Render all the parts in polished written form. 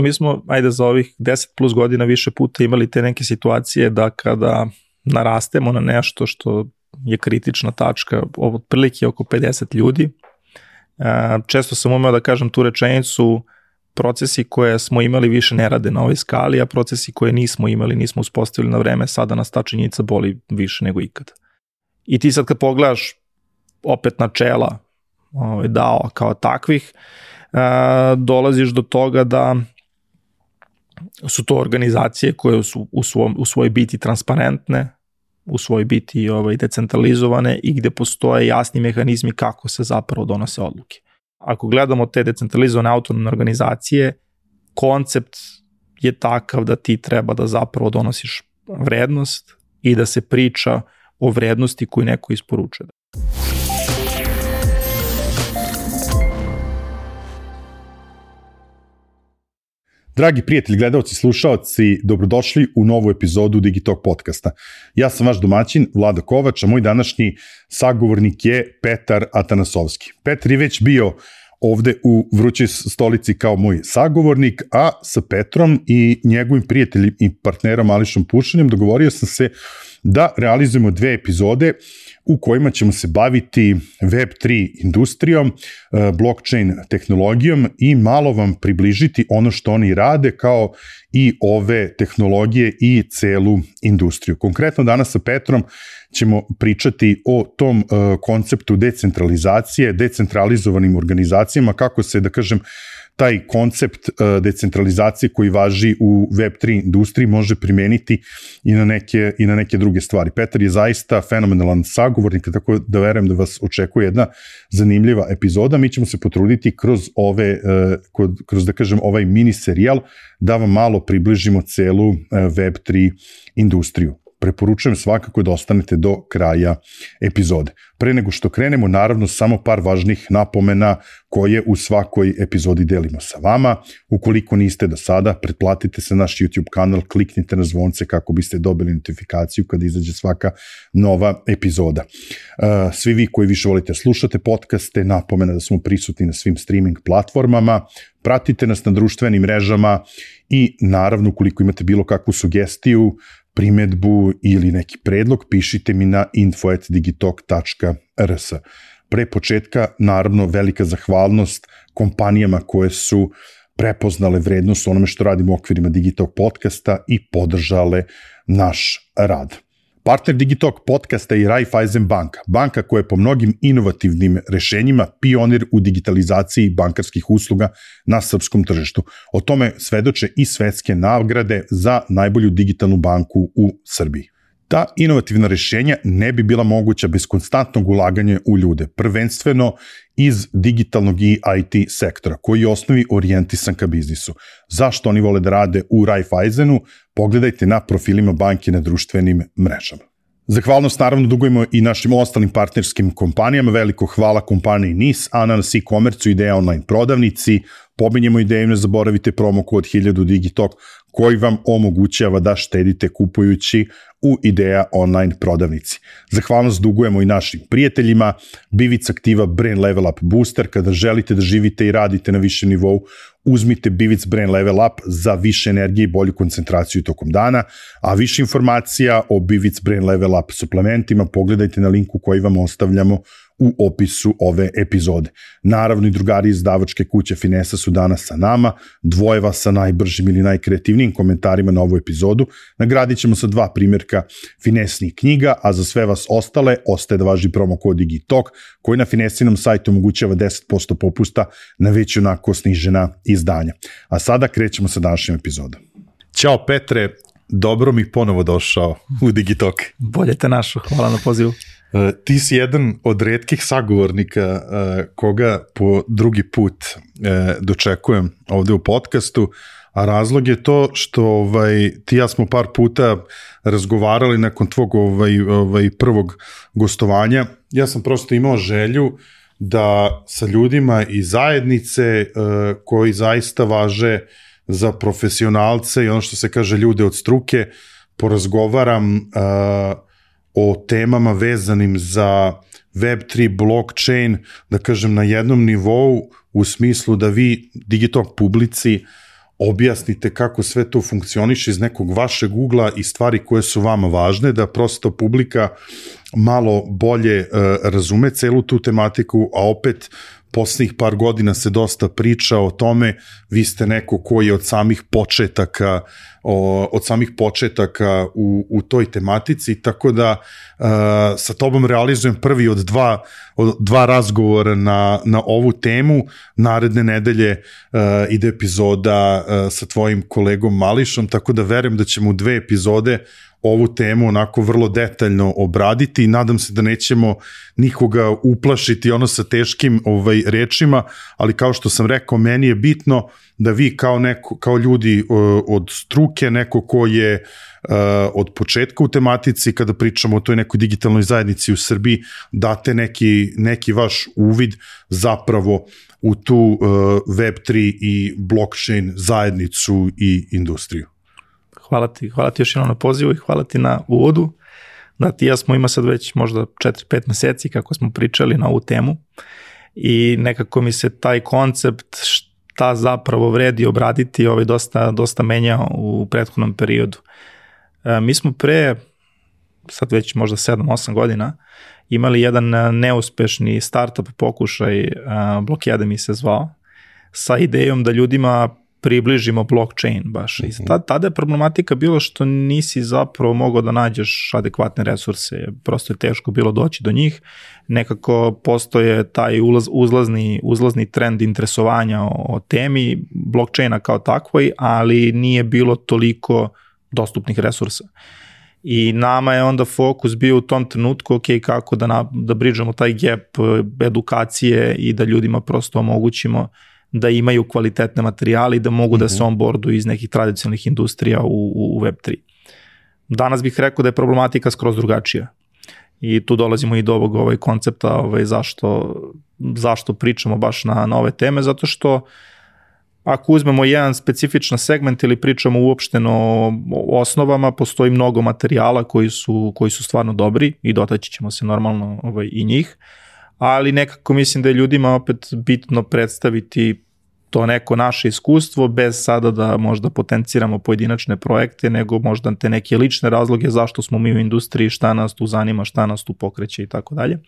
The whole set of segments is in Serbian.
Mi smo, za ovih 10 plus godina više puta imali te neke situacije da kada narastemo na nešto što je kritična tačka, otprilike oko 50 ljudi, često sam umeo da kažem tu rečenicu, procesi koje smo imali više ne rade na ovoj skali, a procesi koje nismo imali, nismo uspostavili na vreme, sada nas ta činjenica boli više nego ikad. I ti sad kad pogledaš opet načela DAO kao takvih, dolaziš do toga da su to organizacije koje su u svojoj biti transparentne, u svojoj biti decentralizovane i gde postoje jasni mehanizmi kako se zapravo donose odluke. Ako gledamo te decentralizovane autonomne organizacije, koncept je takav da ti treba da zapravo donosiš vrednost i da se priča o vrednosti koju neko isporučuje. Dragi prijatelji, gledalci, slušaoci, dobrodošli u novu epizodu Digitalk podcasta. Ja sam vaš domaćin, Vlado Kovač, a moj današnji sagovornik je Petar Atanasovski. Petar je već bio ovde u Vrućoj stolici kao moj sagovornik, a sa Petrom i njegovim prijateljem i partnerom Ališom Pušanjem dogovorio sam se da realizujemo 2 epizode u kojima ćemo se baviti Web3 industrijom, blockchain tehnologijom i malo vam približiti ono što oni rade kao i ove tehnologije i celu industriju. Konkretno danas sa Petrom ćemo pričati o tom konceptu decentralizacije, decentralizovanim organizacijama, kako se, da kažem, taj koncept decentralizacije koji važi u Web3 industriji može primeniti i na neke druge stvari. Petar je zaista fenomenalan sagovornik, tako da verujem da vas očekuje jedna zanimljiva epizoda. Mi ćemo se potruditi kroz da kažem, ovaj mini serijal da vam malo približimo celu Web3 industriju. Preporučujem svakako da ostanete do kraja epizode. Pre nego što krenemo, naravno, samo par važnih napomena koje u svakoj epizodi delimo sa vama. Ukoliko niste do sada, pretplatite se naš YouTube kanal, kliknite na zvonce kako biste dobili notifikaciju kada izađe svaka nova epizoda. Svi vi koji više volite slušate podcaste, napomena da smo prisutni na svim streaming platformama, pratite nas na društvenim mrežama i naravno, ukoliko imate bilo kakvu sugestiju, primedbu ili neki predlog, pišite mi na info@digitalk.rs. Pre početka, naravno, velika zahvalnost kompanijama koje su prepoznale vrednost onome što radimo u okvirima Digitalk podcasta i podržale naš rad. Partner Digitalk podcasta je Raiffeisen banka, banka koja je po mnogim inovativnim rešenjima pionir u digitalizaciji bankarskih usluga na srpskom tržištu. O tome svedoče i svetske nagrade za najbolju digitalnu banku u Srbiji. Ta inovativna rešenja ne bi bila moguća bez konstantnog ulaganja u ljude, prvenstveno iz digitalnog i IT sektora, koji je osnovi orijentisan ka biznisu. Zašto oni vole da rade u Raiffeisenu? Pogledajte na profilima banke na društvenim mrežama. Zahvalnost naravno dugujemo i našim ostalim partnerskim kompanijama. Veliko hvala kompaniji NIS, Ananas e-commerce, Ideja online prodavnici. Pominjemo Ideju, ne zaboravite promo kod 1000 Digitalk koji vam omogućava da štedite kupujući u Ideja online prodavnici. Zahvalnost dugujemo i našim prijateljima. Bivic aktiva Brain Level Up Booster. Kada želite da živite i radite na višem nivou, uzmite Bivic Brain Level Up za više energije i bolju koncentraciju tokom dana, a više informacija o Bivic Brain Level Up suplementima pogledajte na linku koji vam ostavljamo u opisu ove epizode. Naravno i drugari iz izdavačke kuće Finesa su danas sa nama, dvoje vas sa najbržim ili najkreativnijim komentarima na ovu epizodu. Nagradit ćemo sa 2 primjerka Finesnih knjiga, a za sve vas ostale ostaje da važi promo kod Digitalk, koji na Finesinom sajtu omogućava 10% popusta na već onako snižena izdanja. A sada krećemo sa današnjom epizodom. Ćao Petre, dobro mi ponovo došao u Digitalk. Bolje te našao, hvala na pozivu. Ti si jedan od retkih sagovornika koga po drugi put dočekujem ovde u podcastu, a razlog je to što ti ja smo par puta razgovarali nakon tvog prvog gostovanja. Ja sam prosto imao želju da sa ljudima iz zajednice koji zaista važe za profesionalce i ono što se kaže ljude od struke, porazgovaram o temama vezanim za Web3, blockchain, da kažem na jednom nivou, u smislu da vi Digitalk publici objasnite kako sve to funkcioniše iz nekog vašeg ugla i stvari koje su vama važne, da prosto publika malo bolje razume celu tu tematiku, a opet poslednjih par godina se dosta priča o tome, vi ste neko koji je od samih početaka u toj tematici, tako da sa tobom realizujem prvi od dva razgovora na ovu temu. Naredne nedelje ide epizoda sa tvojim kolegom Mališom, tako da verujem da ćemo u 2 epizode ovu temu onako vrlo detaljno obraditi i nadam se da nećemo nikoga uplašiti sa teškim rečima, ali kao što sam rekao, meni je bitno da vi kao ljudi od struke, neko ko je od početka u tematici, kada pričamo o toj nekoj digitalnoj zajednici u Srbiji, date neki vaš uvid zapravo u tu Web3 i blockchain zajednicu i industriju. Hvala ti još jednom na pozivu i hvala ti na uvodu. Da, ti ja smo ima sad već možda 4-5 meseci kako smo pričali na ovu temu i nekako mi se taj koncept šta zapravo vredi obraditi dosta menjao u prethodnom periodu. Mi smo pre, sad već možda 7-8 godina, imali jedan neuspešni startup pokušaj, Blockademy se zvao, sa idejom da ljudima približimo blockchain baš. I tada je problematika bilo što nisi zapravo mogao da nađeš adekvatne resurse, prosto je teško bilo doći do njih, nekako postoje taj uzlazni trend interesovanja o temi blockchaina kao takvoj, ali nije bilo toliko dostupnih resursa. I nama je onda fokus bio u tom trenutku, kako da bridžamo taj gap edukacije i da ljudima prosto omogućimo da imaju kvalitetne materijale i da mogu da se onboarduju iz nekih tradicionalnih industrija u Web3. Danas bih rekao da je problematika skroz drugačija. I tu dolazimo i do ovog koncepta zašto pričamo baš na ove teme, zato što ako uzmemo jedan specifičan segment ili pričamo uopšteno o osnovama, postoji mnogo materijala koji su stvarno dobri i dotaći ćemo se normalno i njih, ali nekako mislim da je ljudima opet bitno predstaviti to neko naše iskustvo bez sada da možda potenciramo pojedinačne projekte, nego možda te neke lične razloge zašto smo mi u industriji, šta nas tu zanima, šta nas tu pokreće i tako dalje.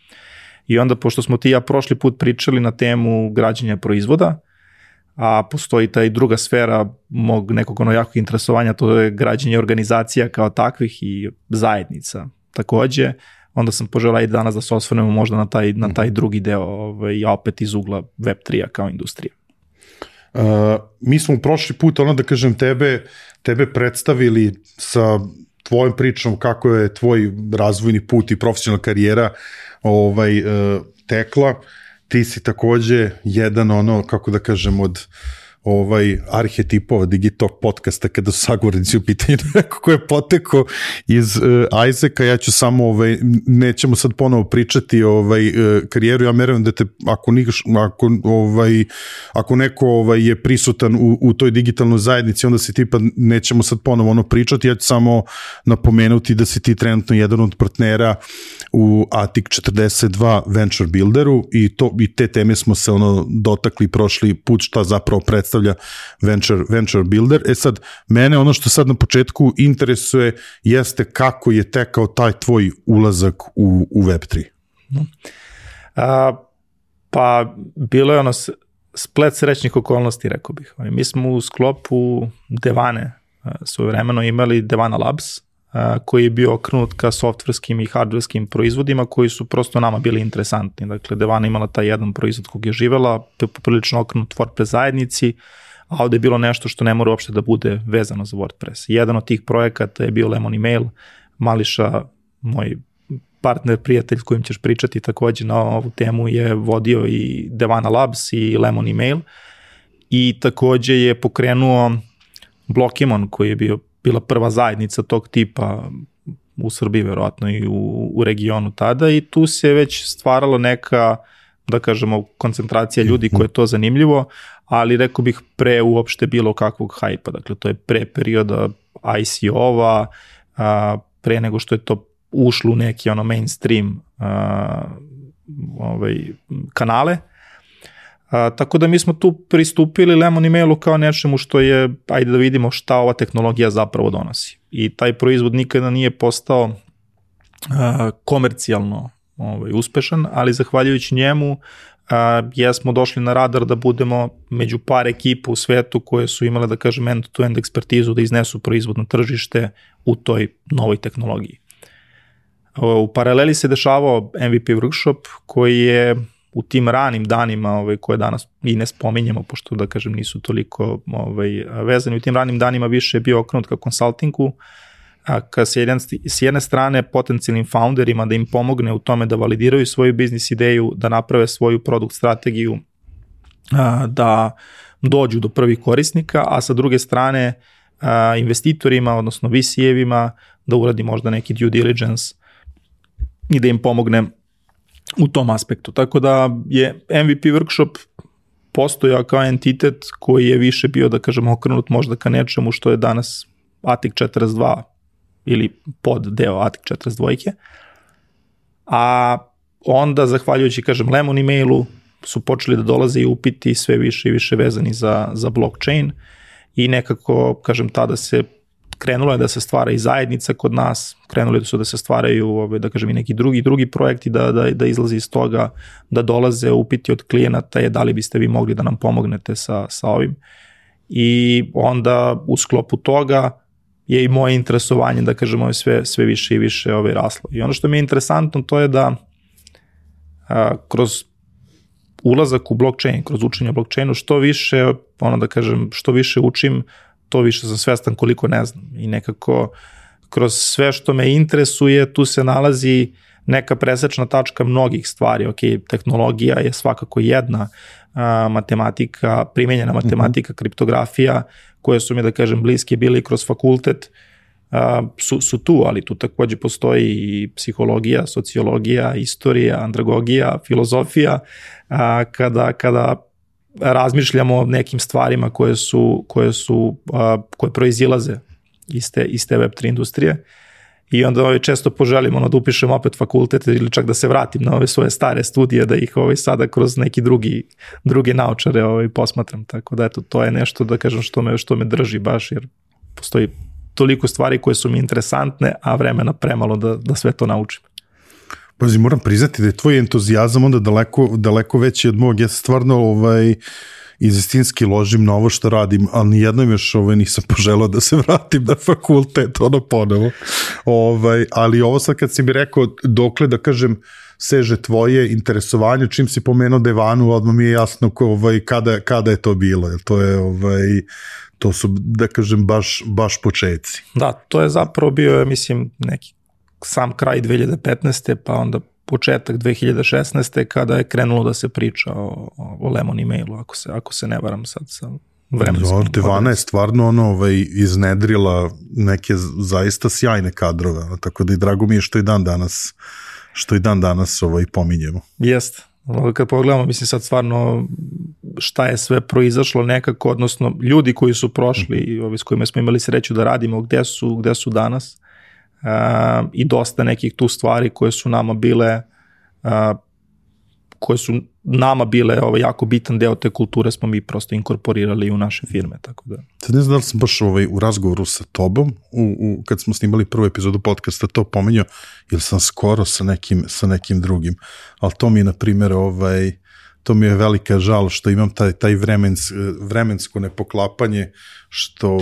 I onda, pošto smo ti ja prošli put pričali na temu građenja proizvoda, a postoji ta i druga sfera mog nekog jakog interesovanja, to je građenje organizacija kao takvih i zajednica takođe, onda sam poželao i danas da se osvrnemo možda na taj drugi deo, ja opet iz ugla Web3-a kao industrije. Mi smo prošli put, da kažem, tebe predstavili sa tvojom pričom kako je tvoj razvojni put i profesionalna karijera tekla. Ti si takođe jedan kako da kažem od arhetipova Digitalk podcasta kada su sagovornici u pitanju neko ko je potekao iz Isaaca. Ja ću samo, nećemo sad ponovo pričati karijeru, ja merujem da te ako neko je prisutan u toj digitalnoj zajednici, onda si ti, pa nećemo sad ponovo pričati, ja ću samo napomenuti da si ti trenutno jedan od partnera u Atik 42 Venture Builderu i te teme smo se dotakli prošli put, šta zapravo predstavlja Venture Builder. Sad, mene što sad na početku interesuje jeste kako je tekao taj tvoj ulazak u Web3. Pa bilo je splet srećnih okolnosti, rekao bih. Mi smo u sklopu Devane svojevremeno imali Devana Labs, koji je bio okrenut ka softverskim i hardverskim proizvodima koji su prosto nama bili interesantni. Dakle, Devana imala taj jedan proizvod kog je živela, poprilično okrenut WordPress zajednici, a ovde je bilo nešto što ne mora uopšte da bude vezano za WordPress. Jedan od tih projekata je bio Lemon Email, Mališa, moj partner, prijatelj kojim ćeš pričati takođe na ovu temu, je vodio i Devana Labs i Lemon Email i takođe je pokrenuo Blockimon koji je bila prva zajednica tog tipa u Srbiji, verovatno i u regionu tada, i tu se već stvarala neka, da kažemo, koncentracija ljudi koje je to zanimljivo, ali rekao bih pre uopšte bilo kakvog hajpa. Dakle, to je pre perioda ICO-va, pre nego što je to ušlo u neki mainstream kanale. Tako da mi smo tu pristupili Lemon Emailu kao nečemu što je, ajde da vidimo šta ova tehnologija zapravo donosi. I taj proizvod nikada nije postao komercijalno uspešan, ali zahvaljujući njemu jesmo došli na radar da budemo među par ekipa u svetu koje su imale, da kažem, end-to-end ekspertizu da iznesu proizvod na tržište u toj novoj tehnologiji. U paraleli se dešavao MVP workshop koji je u tim ranim danima koje danas i ne spominjemo, pošto da kažem nisu toliko vezani, u tim ranim danima više je bio okrenut ka konsultingu, ka s jedne strane potencijalnim founderima da im pomogne u tome da validiraju svoju biznis ideju, da naprave svoju produkt strategiju, da dođu do prvih korisnika, a sa druge strane investitorima, odnosno VC-evima, da uradi možda neki due diligence i da im pomogne u tom aspektu. Tako da je MVP workshop postojao kao entitet koji je više bio, da kažemo, okrenut možda ka nečemu što je danas ATIC 42 ili pod deo ATIC 42. A onda, zahvaljujući, kažem, Lemon Emailu, su počeli da dolaze i upiti sve više i više vezani za blockchain i nekako, kažem, tada se krenulo je da se stvara i zajednica kod nas, krenuli su da se stvaraju, da kažem, i neki drugi projekti da izlazi iz toga, da dolaze upiti od klijenata je da li biste vi mogli da nam pomognete sa ovim. I onda u sklopu toga je i moje interesovanje, da kažem, sve više i više raslo. I ono što mi je interesantno to je da kroz ulazak u blockchain, kroz učenje o blockchainu, što više, da kažem, što više učim, to više sam svestan koliko ne znam. I nekako kroz sve što me interesuje, tu se nalazi neka presečna tačka mnogih stvari. Ok, tehnologija je svakako jedna, matematika, primenjena matematika, kriptografija, koje su mi, da kažem, bliske bili kroz fakultet, su tu, ali tu takođe postoji i psihologija, sociologija, istorija, andragogija, filozofija, kada razmišljamo o nekim stvarima koje proizilaze iz te Web3 industrije i onda često poželim da upišem opet fakultet ili čak da se vratim na ove svoje stare studije, da ih sada kroz neki drugi naučare posmatram, tako da eto, to je nešto, da kažem, što me drži baš, jer postoji toliko stvari koje su mi interesantne, a vremena premalo da sve to naučim. Pazi, moram priznati da je tvoj entuzijazam onda daleko veći od mog. Ja se stvarno iz istinski ložim na ovo što radim, ali nijednom još nisam poželao da se vratim na fakultet, ponovo. Ali ovo sad kad si mi rekao dokle, da kažem, seže tvoje interesovanje, čim si pomenuo Devanu, odmah mi je jasno kada je to bilo, jer to su, da kažem, baš početci. Da, to je zapravo bio, mislim, neki sam kraj 2015. pa onda početak 2016. kada je krenulo da se priča o Lemon Emailu, ako se ne varam sad sa vremenskom. Devana je stvarno iznedrila neke zaista sjajne kadrove, tako da i drago mi je što i dan danas pominjemo. Jeste. Kad pogledamo, mislim sad stvarno šta je sve proizašlo nekako, odnosno ljudi koji su prošli i s kojima smo imali sreću da radimo, gde su danas, i dosta nekih tu stvari koje su nama bile jako bitan deo te kulture smo mi prosto inkorporirali u naše firme, tako da. Sad ne znam da li sam baš u razgovoru sa tobom, kad smo snimali prvu epizodu podcasta to pomenjao, ili sam skoro sa nekim drugim, ali to mi je, na primjer, to mi je velika žal što imam taj vremensko nepoklapanje, što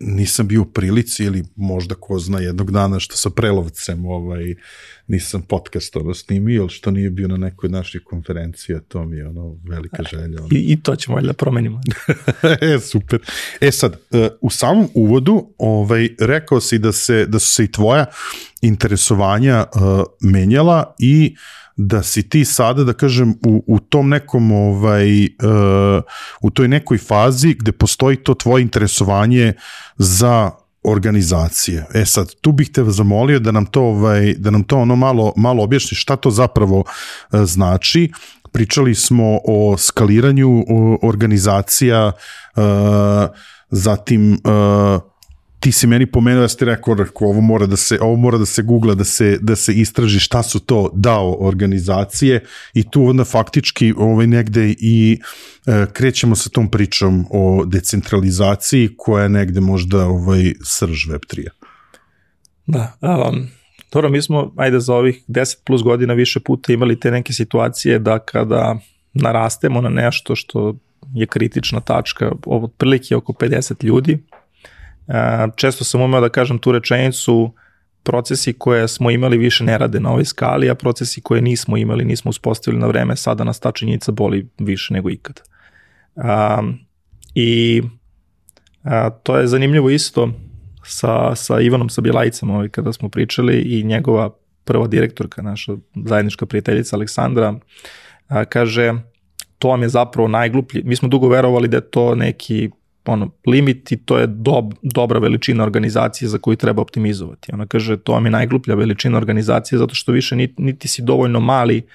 nisam bio u prilici, ili možda ko zna jednog dana što sa Prelovcem nisam podcast snimio, ili što nije bio na nekoj od naših konferencija, to mi je velika želja. I to ćemo da promenimo. Super. Sad, u samom uvodu rekao si da su se i tvoja interesovanja menjala i da si ti sada, da kažem, u tom nekom, u toj nekoj fazi gde postoji to tvoje interesovanje za organizacije. Sad, tu bih te zamolio da nam to malo objašnjiš šta to zapravo znači. Pričali smo o skaliranju organizacija, zatim ti si meni pomenuo, ja ste rekao, ovo mora da se googla, da se istraži šta su to DAO organizacije i tu onda faktički negde i krećemo sa tom pričom o decentralizaciji koja je negde možda srž Web3-a. Da, dobro, mi smo, za ovih 10 plus godina više puta imali te neke situacije da kada narastemo na nešto što je kritična tačka, otprilike oko 50 ljudi, često sam umeo da kažem tu rečenicu, procesi koje smo imali više ne rade na ovoj skali, a procesi koje nismo imali, nismo uspostavili na vreme, sada nas ta činjenica boli više nego ikad. To je zanimljivo isto sa Ivanom Sabjelajcem, kada smo pričali, i njegova prva direktorka, naša zajednička prijateljica Aleksandra, kaže, to vam je zapravo najgluplji. Mi smo dugo verovali da je to neki limit i to je dobra veličina organizacije za koju treba optimizovati. Ona kaže, to vam je najgluplja veličina organizacije zato što više niti si dovoljno mali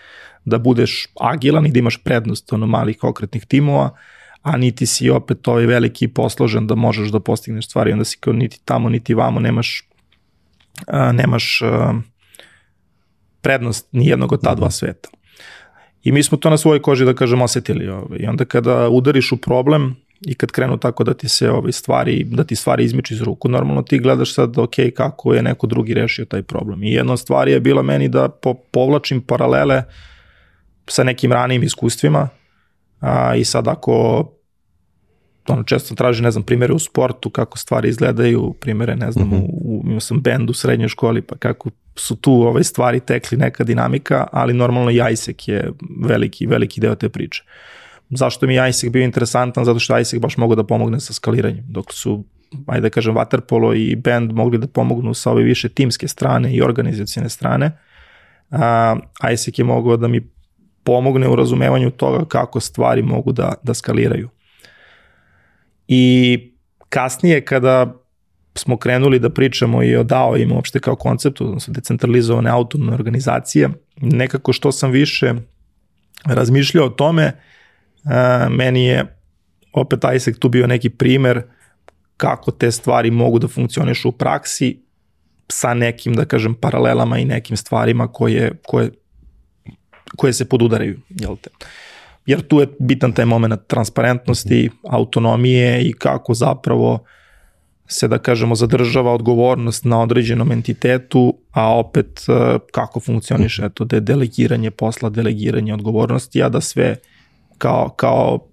da budeš agilan i da imaš prednost malih okretnih timova, a niti si opet veliki i posložen da možeš da postigneš stvari. Onda si kao niti tamo, niti vamo, nemaš prednost nijednog od ta dva sveta. I mi smo to na svojoj koži, da kažem, osetili. I onda kada udariš u problem i kad krenu tako da ti se stvari izmiču iz ruku, normalno ti gledaš sad, ok, kako je neko drugi rešio taj problem. I jedna stvar je bila meni da povlačim paralele sa nekim ranijim iskustvima, i sad ako često traži, primere u sportu, kako stvari izgledaju, primere, imao sam bend u srednjoj školi, pa kako su tu stvari tekli, neka dinamika, ali normalno i ISEC je veliki deo te priče. Zašto mi je ISEC bio interesantan? Zato što ISEC baš mogu da pomogne sa skaliranjem, dok su, da kažem, Waterpolo i bend mogli da pomognu sa ove više timske strane i organizacijne strane. ISEC je mogao da mi pomogne u razumevanju toga kako stvari mogu da skaliraju. I kasnije kada smo krenuli da pričamo i o DAO-ima uopšte kao konceptu, odnosno decentralizovane autonomne organizacije, nekako što sam više razmišljao o tome, meni je opet ISEC tu bio neki primer kako te stvari mogu da funkcionišu u praksi sa nekim, da kažem, paralelama i nekim stvarima koje se podudaraju, jel te? Jer tu je bitan taj moment transparentnosti, autonomije i kako zapravo se, da kažemo, zadržava odgovornost na određenom entitetu, a opet kako funkcioniše delegiranje posla, delegiranje odgovornosti, a da sve kao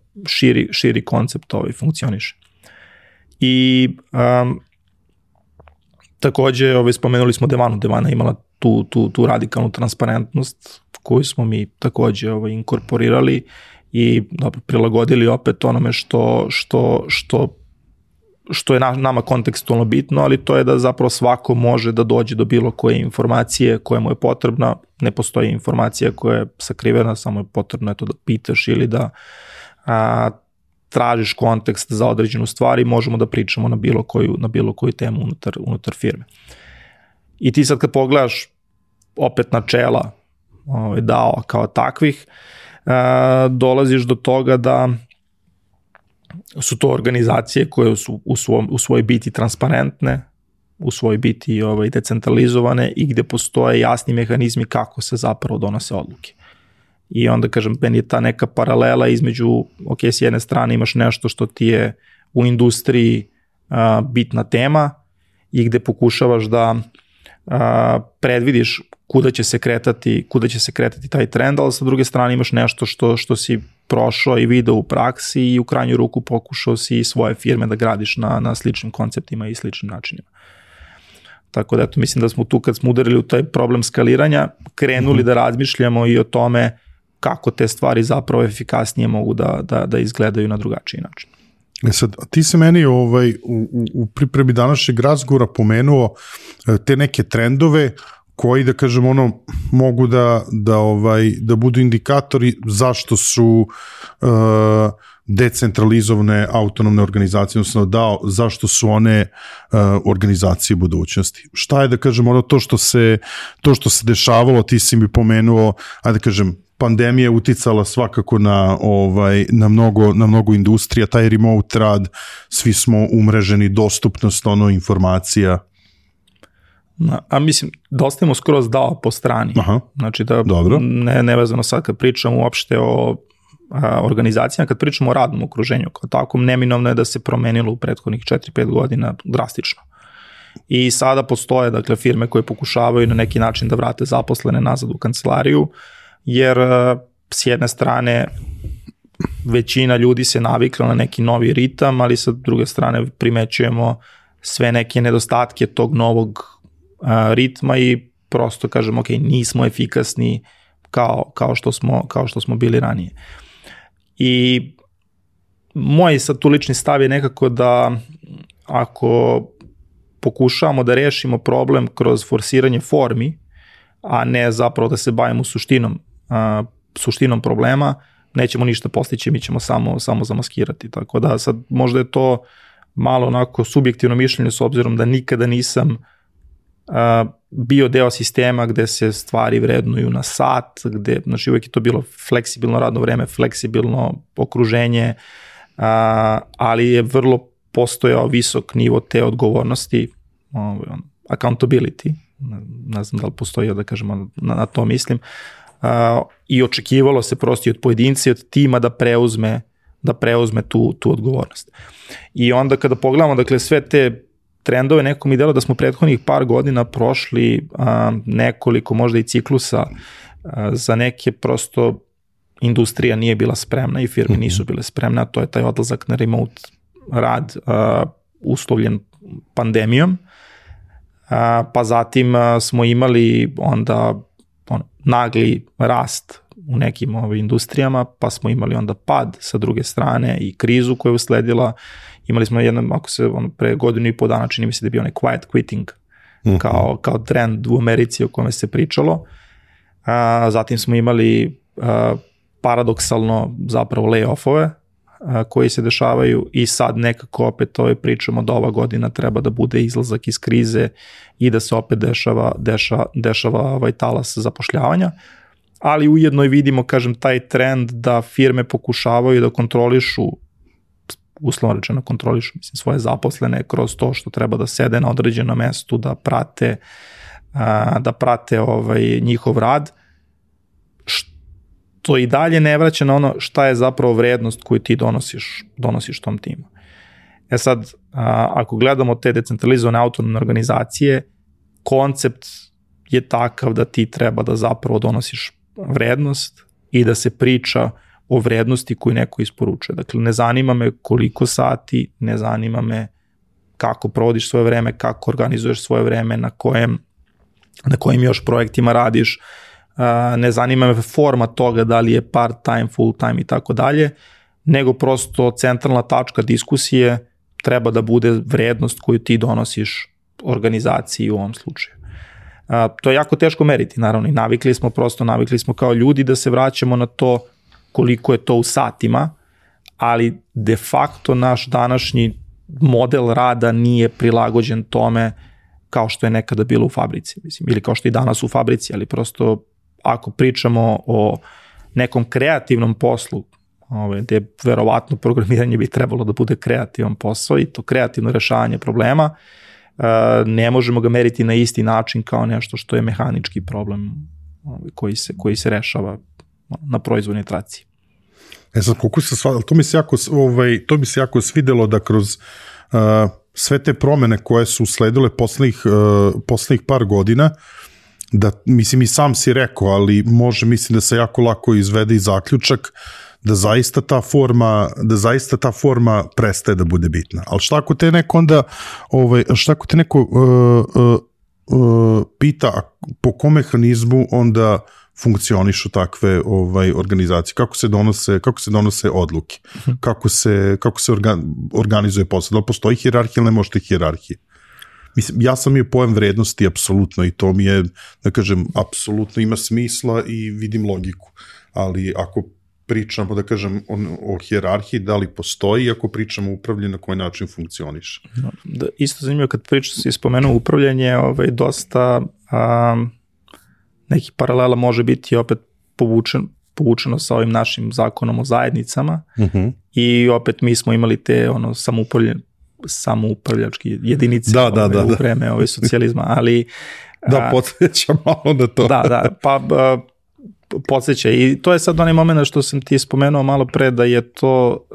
širi koncept funkcioniše. I takođe spomenuli smo Devanu. Devana imala tu radikalnu transparentnost koju smo mi takođe inkorporirali i prilagodili opet onome što je nama kontekstualno bitno, ali to je da zapravo svako može da dođe do bilo koje informacije koja mu je potrebna. Ne postoji informacija koja je sakrivena, samo je potrebno da pitaš ili da tražiš kontekst za određenu stvar i možemo da pričamo na bilo koju temu unutar firme. I ti sad kad pogledaš opet načela DAO kao takvih, dolaziš do toga da su to organizacije koje su u svojoj biti transparentne, u svojoj biti decentralizovane i gde postoje jasni mehanizmi kako se zapravo donose odluke. I onda, kažem, meni je ta neka paralela između, ok, s jedne strane imaš nešto što ti je u industriji bitna tema i gde pokušavaš da predvidiš kuda će se kretati taj trend, ali sa druge strane imaš nešto što si prošao i video u praksi i u krajnju ruku pokušao si svoje firme da gradiš na sličnim konceptima i sličnim načinima. Tako da, mislim da smo tu, kad smo udarili u taj problem skaliranja, krenuli da razmišljamo i o tome kako te stvari zapravo efikasnije mogu da izgledaju na drugačiji način. Sad, ti se meni u pripremi današnjeg razgovora pomenuo te neke trendove koji, da kažem, mogu da budu indikatori zašto su decentralizovane autonomne organizacije, odnosno zašto su one organizacije budućnosti. Šta je, da kažem, to što se dešavalo, ti si mi pomenuo, ajde da kažem, pandemija uticala svakako na mnogo industrija, taj remote rad, svi smo umreženi, dostupnost informacija. A mislim, da ostavimo skroz dao po strani. Aha, znači da dobro. Nevezano sad kad pričamo uopšte o organizacijama, kad pričamo o radnom okruženju kao takvom, neminovno je da se promenilo u prethodnih 4-5 godina drastično. I sada postoje, dakle, firme koje pokušavaju na neki način da vrate zaposlene nazad u kancelariju, jer s jedne strane većina ljudi se navikla na neki novi ritam, ali sa druge strane primećujemo sve neke nedostatke tog novog ritma i prosto kažemo, ok, nismo efikasni kao što smo bili ranije. I moj sad tu lični stav je nekako da ako pokušavamo da rešimo problem kroz forsiranje formi, a ne zapravo da se bavimo suštinom problema, nećemo ništa postići, mi ćemo samo zamaskirati. Tako da sad možda je to malo onako subjektivno mišljenje s obzirom da nikada nisam bio deo sistema gde se stvari vrednuju na sat, gde, znači uvijek je to bilo fleksibilno radno vreme, fleksibilno okruženje, ali je vrlo postojao visok nivo te odgovornosti, accountability, ne znam da li postoji, da kažemo, na to mislim, i očekivalo se prosto od pojedinca i od tima da preuzme tu odgovornost. I onda kada pogledamo, dakle, sve te trendove, neko mi delo da smo prethodnih par godina prošli nekoliko možda i ciklusa za neke prosto industrija nije bila spremna i firme nisu bile spremne, a to je taj odlazak na remote rad uslovljen pandemijom, pa zatim smo imali onda nagli rast u nekim industrijama, pa smo imali onda pad sa druge strane i krizu koja je usledila. Imali smo pre godinu i po dana, čini mi se da je bio onaj quiet quitting kao trend u Americi o kome se pričalo. Zatim smo imali paradoksalno zapravo layoffove koji se dešavaju i sad nekako opet pričamo da ova godina treba da bude izlazak iz krize i da se opet dešava talas zapošljavanja, ali ujedno i vidimo, kažem, taj trend da firme pokušavaju da kontrolišu, uslovno rečeno kontrolišu svoje zaposlene kroz to što treba da sede na određenom mestu, da prate njihov rad, to i dalje ne vraća na ono šta je zapravo vrednost koju ti donosiš tom timu. Sad, ako gledamo te decentralizovane autonomne organizacije, koncept je takav da ti treba da zapravo donosiš vrednost i da se priča o vrednosti koju neko isporučuje. Dakle, ne zanima me koliko sati, ne zanima me kako provodiš svoje vreme, kako organizuješ svoje vreme, na kojim još projektima radiš, ne zanima me forma toga da li je part time, full time i tako dalje, nego prosto centralna tačka diskusije treba da bude vrednost koju ti donosiš organizaciji u ovom slučaju. To je jako teško meriti, naravno, i navikli smo kao ljudi da se vraćamo na to koliko je to u satima, ali de facto naš današnji model rada nije prilagođen tome kao što je nekada bilo u fabrici, mislim, ili kao što je danas u fabrici, ali prosto ako pričamo o nekom kreativnom poslu, gde verovatno programiranje bi trebalo da bude kreativan posao i to kreativno rešavanje problema, ne možemo ga meriti na isti način kao nešto što je mehanički problem koji se rešava na proizvodnoj traci. Sad, to mi se jako svidelo da kroz sve te promene koje su usledile poslednjih par godina, da, mislim, i sam si rekao, ali mislim da se jako lako izvede i zaključak da zaista ta forma prestaje da bude bitna. Ali šta ako te neko onda, pita po kom mehanizmu onda funkcionišu takve organizacije, kako se donose odluke, kako se organizuje posao, da li postoji hijerarhija ili ne možete hijerarhije. Mislim, ja sam imao pojam vrednosti apsolutno i to mi je, da kažem, apsolutno ima smisla i vidim logiku, ali ako pričamo, da kažem, o hijerarhiji, da li postoji, ako pričamo o upravljanju, na koji način funkcioniš? Isto zanimljivo kad si spomenuo upravljanje, dosta nekih paralela može biti opet povučeno sa ovim našim zakonom o zajednicama i opet mi smo imali te samoupravljački jedinice u vreme socijalizma, ali podsjeća malo na to. Podsjeća i to je sad onaj moment što sam ti spomenuo malo pre, da je to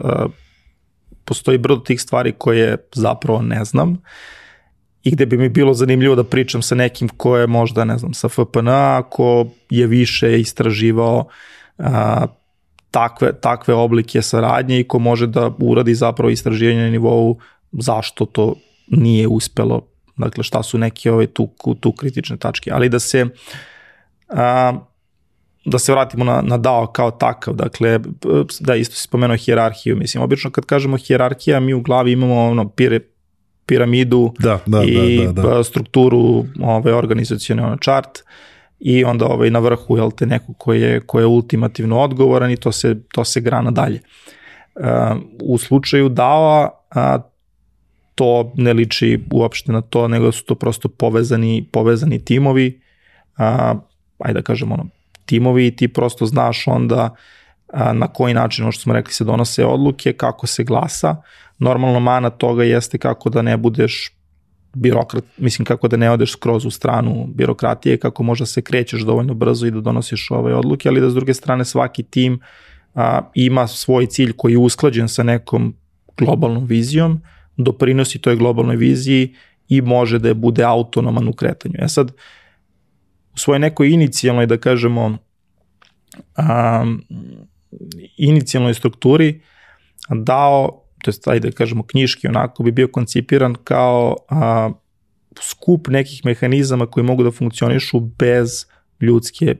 postoji brdo tih stvari koje zapravo ne znam i gde bi mi bilo zanimljivo da pričam sa nekim ko je možda, ne znam, sa FPN-a, ko je više istraživao takve oblike saradnje i ko može da uradi zapravo istraživanje na nivou zašto to nije uspelo, dakle šta su neke tu kritične tačke, ali da se vratimo na DAO kao takav, dakle, da isto si spomenuo hijerarhiju, mislim, obično kad kažemo hijerarhija, mi u glavi imamo piramidu i strukturu organizacionu chart i onda na vrhu je neko ko je ultimativno odgovoran i to se grana dalje. U slučaju DAO-a to ne liči uopšte na to, nego su to prosto povezani timovi, ajde da kažemo timovi i ti prosto znaš onda na koji način, ono što smo rekli, se donose odluke, kako se glasa. Normalno mana toga jeste kako da ne budeš birokrat, mislim kako da ne odeš skroz u stranu birokratije, kako možda se krećeš dovoljno brzo i da donosiš ove odluke, ali da s druge strane svaki tim ima svoj cilj koji je usklađen sa nekom globalnom vizijom, doprinosi toj globalnoj viziji i može da bude autonoman u kretanju. Sad, u svojoj nekoj inicijalnoj, da kažemo, inicijalnoj strukturi DAO, to jest, ajde da kažemo knjiški, onako bi bio koncipiran kao skup nekih mehanizama koji mogu da funkcionišu bez ljudske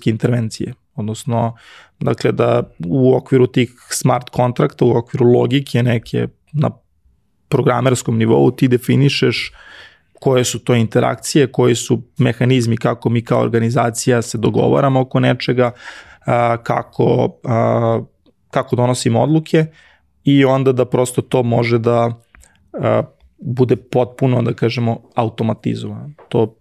intervencije. Odnosno, dakle, da u okviru tih smart kontrakta, u okviru logike neke na programerskom nivou ti definišeš koje su to interakcije, koji su mehanizmi kako mi kao organizacija se dogovaramo oko nečega, kako donosimo odluke i onda da prosto to može da bude potpuno, da kažemo, automatizovano. To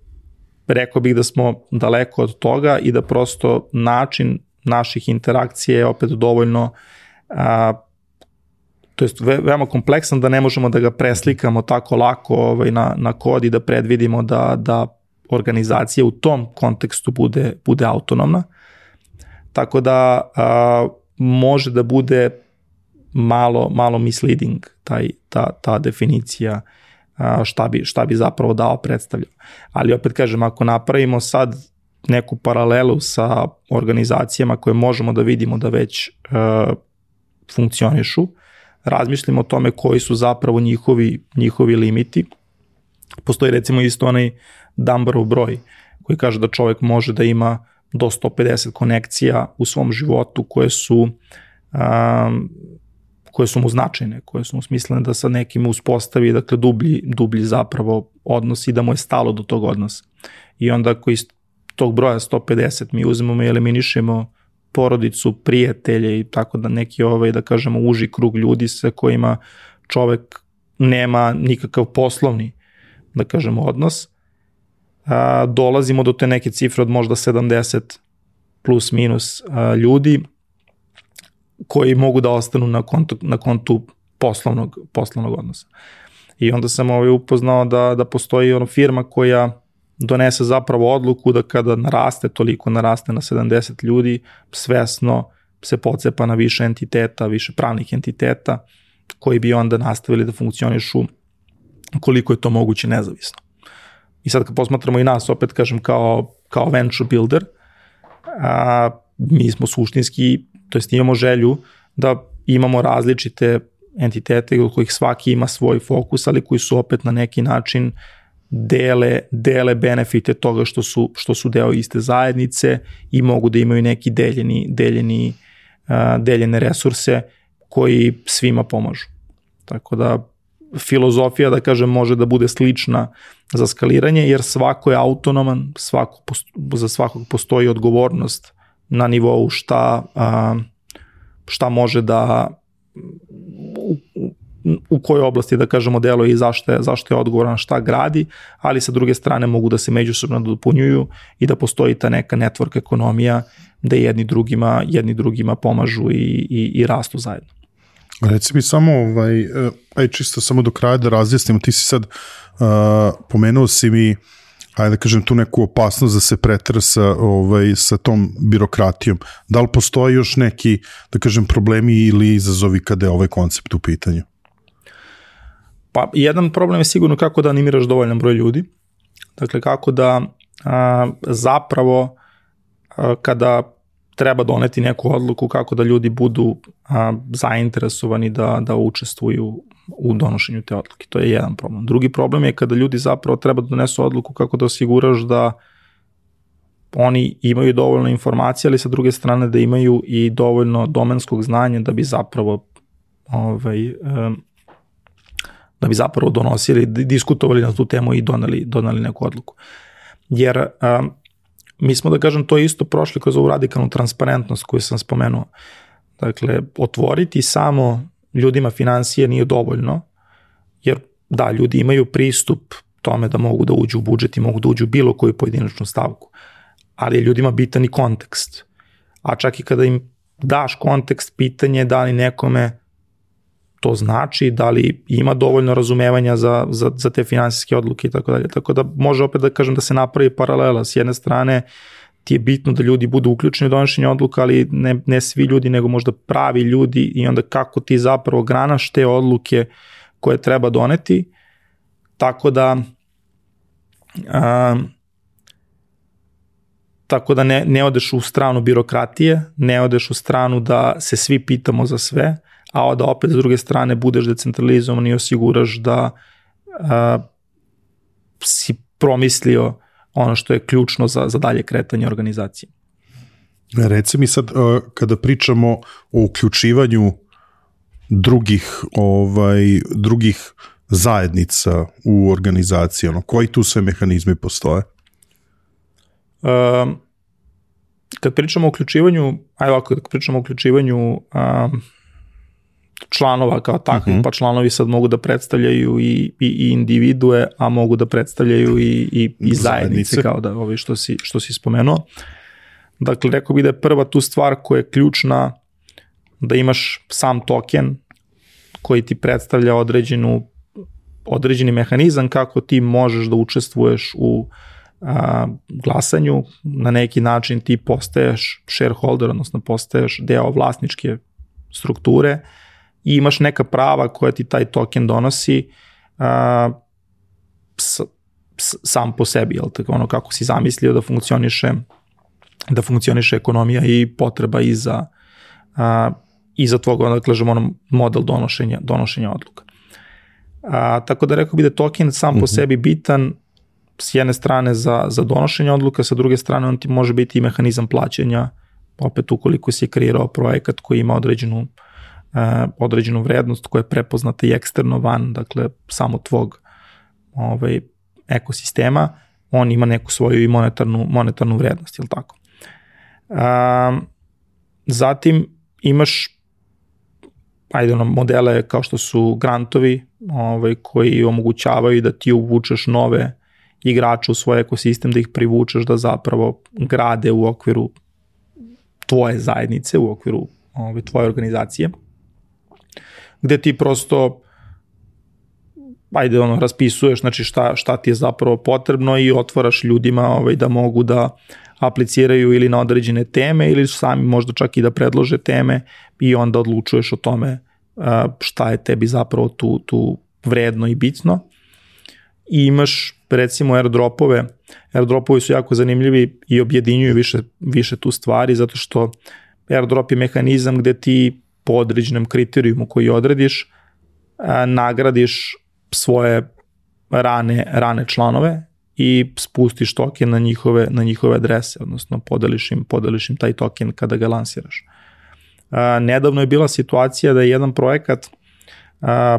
rekao bih da smo daleko od toga i da prosto način naših interakcija je opet dovoljno to jest veoma kompleksan da ne možemo da ga preslikamo tako lako na kod i da predvidimo da organizacija u tom kontekstu bude autonomna. Tako da može da bude malo misleading ta definicija šta bi zapravo DAO predstavljao. Ali opet kažem, ako napravimo sad neku paralelu sa organizacijama koje možemo da vidimo da već funkcionišu, razmišljamo o tome koji su zapravo njihovi limiti. Postoji recimo isto onaj Dunbarov broj koji kaže da čovjek može da ima do 150 konekcija u svom životu koje su mu značajne, koje su mu smislene da sa nekim uspostavi, dakle, dublji zapravo odnos i da mu je stalo do tog odnosa. I onda ako iz tog broja 150 mi uzmemo i eliminišemo porodicu, prijatelje i tako da neki da kažemo uži krug ljudi sa kojima čovek nema nikakav poslovni, da kažemo, odnos, dolazimo do te neke cifre od možda 70 plus minus ljudi koji mogu da ostanu na kontu poslovnog odnosa. I onda sam upoznao da postoji firma koja donese zapravo odluku da kada naraste na 70 ljudi, svesno se pocepa na više entiteta, više pravnih entiteta, koji bi onda nastavili da funkcionišu koliko je to moguće nezavisno. I sad kad posmatramo i nas, opet kažem, kao venture builder, mi smo suštinski, to jest imamo želju da imamo različite entitete od kojih svaki ima svoj fokus, ali koji su opet na neki način dele benefite toga što su deo iste zajednice i mogu da imaju neki deljene resurse koji svima pomažu. Tako da filozofija, da kažem, može da bude slična za skaliranje, jer svako je autonoman, za svakog postoji odgovornost na nivou šta može da u kojoj oblasti, da kažemo, deluje i zašto je odgovoran, šta gradi, ali sa druge strane mogu da se međusobno dopunjuju i da postoji ta neka network ekonomija da jedni drugima pomažu i rastu zajedno. Reci mi samo, čisto samo do kraja da razjasnimo, ti si sad pomenuo si mi, ajde da kažem, tu neku opasnost da se pretra sa tom birokratijom. Da li postoji još neki, da kažem, problemi ili izazovi kada je ovaj koncept u pitanju? Pa jedan problem je sigurno kako da animiraš dovoljan broj ljudi. Dakle, kako da zapravo kada treba doneti neku odluku, kako da ljudi budu zainteresovani da učestvuju u donošenju te odluke. To je jedan problem. Drugi problem je kada ljudi zapravo treba da donesu odluku kako da osiguraš da oni imaju dovoljno informacija, ali sa druge strane da imaju i dovoljno domenskog znanja da bi zapravo donosili, diskutovali na tu temu i doneli neku odluku. Jer mi smo, da kažem, to isto prošli kroz ovu radikalnu transparentnost koju sam spomenuo. Dakle, otvoriti samo ljudima financije nije dovoljno, jer da, ljudi imaju pristup tome da mogu da uđu u budžet i mogu da uđu u bilo koju pojedinačnu stavku, ali je ljudima bitan i kontekst. A čak i kada im daš kontekst, pitanje je da li nekome to znači, da li ima dovoljno razumevanja za te finansijske odluke i tako dalje. Tako da može opet da kažem da se napravi paralela. S jedne strane ti je bitno da ljudi budu uključeni u donošenje odluka, ali ne svi ljudi, nego možda pravi ljudi i onda kako ti zapravo granaš te odluke koje treba doneti. Tako da ne odeš u stranu birokratije, ne odeš u stranu da se svi pitamo za sve, a da opet s druge strane budeš decentralizovan i osiguraš da si promislio ono što je ključno za dalje kretanje organizacije. Reci mi sad, kada pričamo o uključivanju drugih zajednica u organizaciji, koji tu sve mehanizmi postoje? Kad pričamo o uključivanju, članova kao takvih, pa članovi sad mogu da predstavljaju i individue, a mogu da predstavljaju i zajednice, kao da što si spomenuo. Dakle, rekao bih da je prva tu stvar koja je ključna da imaš sam token koji ti predstavlja određeni mehanizam kako ti možeš da učestvuješ u glasanju. Na neki način ti postaješ shareholder, odnosno postaješ deo vlasničke strukture i imaš neka prava koja ti taj token donosi sam po sebi, jel tako, ono kako si zamislio da funkcioniše ekonomija i potreba i za tvoj, da kažemo, model donošenja odluka. Tako da rekao bi da token sam po sebi bitan s jedne strane za donošenje odluka, sa druge strane on ti može biti i mehanizam plaćanja, opet ukoliko si kreirao projekat koji ima određenu vrednost koja je prepoznata i eksterno van, dakle samo tvog ekosistema, on ima neku svoju i monetarnu vrednost, jel tako? Zatim imaš modele kao što su grantovi koji omogućavaju da ti uvučeš nove igrače u svoj ekosistem, da ih privučeš da zapravo grade u okviru tvoje zajednice, u okviru tvoje organizacije, gde ti prosto raspisuješ, znači šta ti je zapravo potrebno i otvaraš ljudima da mogu da apliciraju ili na određene teme ili sami možda čak i da predlože teme i onda odlučuješ o tome šta je tebi zapravo tu vredno i bitno. I imaš recimo airdropove. Airdropovi su jako zanimljivi i objedinjuju više tu stvari, zato što airdrop je mehanizam gde ti po određenom kriterijumu koji odrediš nagradiš svoje rane članove i spustiš token na njihove adrese, odnosno podeliš im taj token kada ga lansiraš. Nedavno je bila situacija da je jedan projekat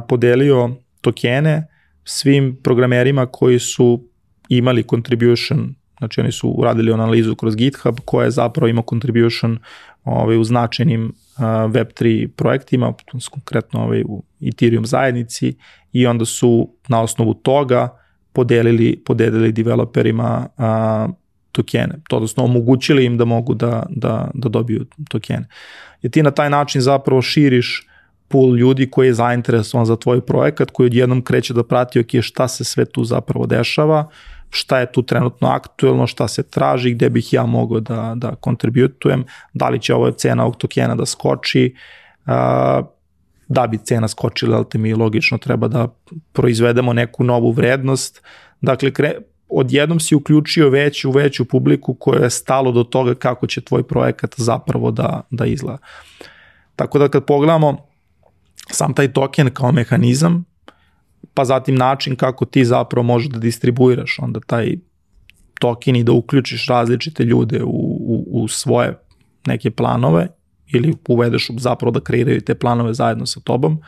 podelio tokene svim programerima koji su imali contribution znači oni su uradili analizu kroz GitHub koja je zapravo ima contribution u značajnim Web3 projektima, konkretno u Ethereum zajednici, i onda su na osnovu toga podelili developerima tokene, odnosno omogućili im da mogu da dobiju tokene. I ti na taj način zapravo širiš pool ljudi koji je zainteresovan za tvoj projekat, koji odjednom kreće da prati šta se sve tu zapravo dešava, šta je tu trenutno aktuelno, šta se traži, gde bih ja mogao da kontributujem, da li će ovo cena ovog tokena da skoči, da bi cena skočila, ali te mi logično treba da proizvedemo neku novu vrednost. Dakle, odjednom si uključio veću publiku koja je stalo do toga kako će tvoj projekat zapravo da izgleda. Tako da kad pogledamo sam taj token kao mehanizam, pa zatim način kako ti zapravo možeš da distribuiraš onda taj token i da uključiš različite ljude u svoje neke planove ili uvedeš zapravo da kreiraju te planove zajedno sa tobom,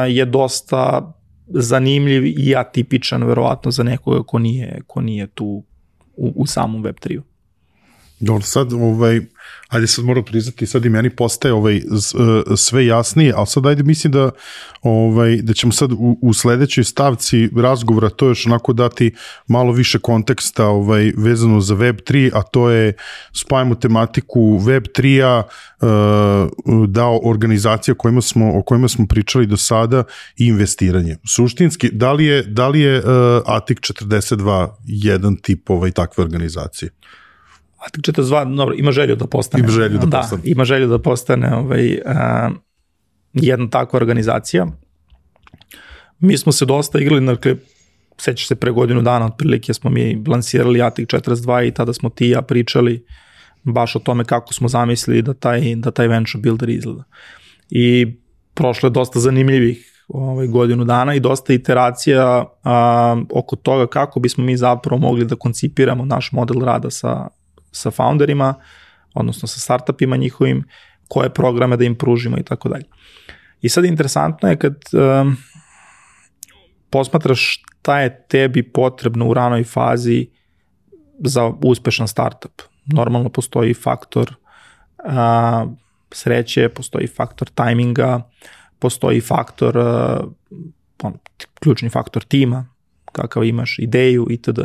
je dosta zanimljiv i atipičan verovatno za nekoga ko nije tu u samom Web3-u. Dobro, sad, ajde sad moram priznati, sad i meni postaje sve jasnije, ali sad ajde mislim da ćemo sad u sledećoj stavci razgovora to još onako dati malo više konteksta vezano za Web3, a to je spajamo tematiku Web3-a, dao organizacija o kojima smo pričali do sada i investiranje. Suštinski, da li je Atik 42 jedan tip takve organizacije? Atik 42, dobro, ima želju da postane. Ima želju da postane jedna takva organizacija. Mi smo se dosta igrali, dakle, sećaš se pre godinu dana, otprilike smo mi lansirali Atik 42 i tada smo ti i ja pričali baš o tome kako smo zamislili da taj venture builder izgleda. I prošlo je dosta zanimljivih godinu dana i dosta iteracija oko toga kako bismo mi zapravo mogli da koncipiramo naš model rada sa founderima, odnosno sa startupima njihovim, koje programe da im pružimo i tako dalje. I sad interesantno je kad posmatraš šta je tebi potrebno u ranoj fazi za uspešan startup. Normalno postoji faktor sreće, postoji faktor tajminga, postoji faktor, ključni faktor tima, kakav imaš ideju itd.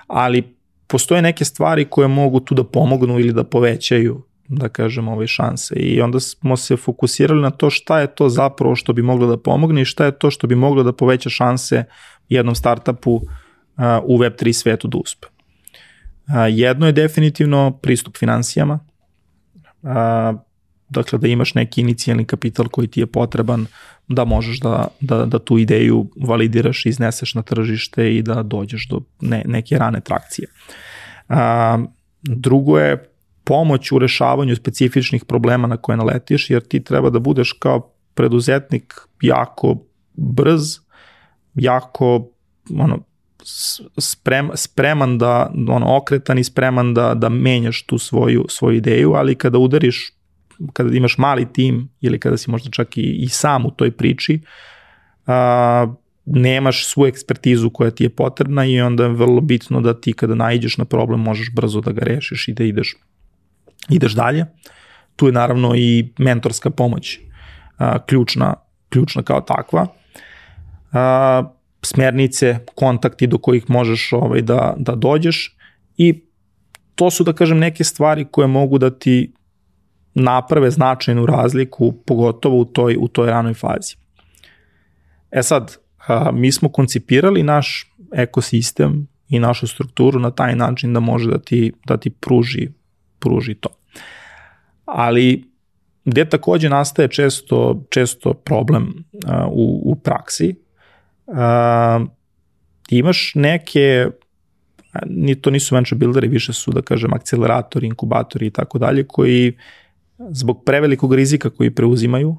Ali postoje neke stvari koje mogu tu da pomognu ili da povećaju, da kažem, ove šanse. I onda smo se fokusirali na to šta je to zapravo što bi moglo da pomogne i šta je to što bi moglo da poveća šanse jednom startupu u Web3 svetu da uspe. Jedno je definitivno pristup finansijama, dakle da imaš neki inicijalni kapital koji ti je potreban da možeš da tu ideju validiraš, izneseš na tržište i da dođeš do neke rane trakcije. Drugo je pomoć u rešavanju specifičnih problema na koje naletiš, jer ti treba da budeš kao preduzetnik jako brz, jako spreman da, okretan i spreman da menjaš tu svoju ideju, ali kada kada imaš mali tim ili kada si možda čak i sam u toj priči, nemaš svu ekspertizu koja ti je potrebna i onda je vrlo bitno da ti kada naiđeš na problem možeš brzo da ga rešiš i da ideš dalje. Tu je naravno i mentorska pomoć ključna kao takva. Smernice, kontakti do kojih možeš da dođeš i to su, da kažem, neke stvari koje mogu da ti naprave značajnu razliku, pogotovo u toj ranoj fazi. Sad, mi smo koncipirali naš ekosistem i našu strukturu na taj način da može da ti pruži to. Ali gde takođe nastaje često problem u praksi, imaš neke, to nisu venture builderi, više su, da kažem, akceleratori, inkubatori i tako dalje, koji zbog prevelikog rizika koji preuzimaju,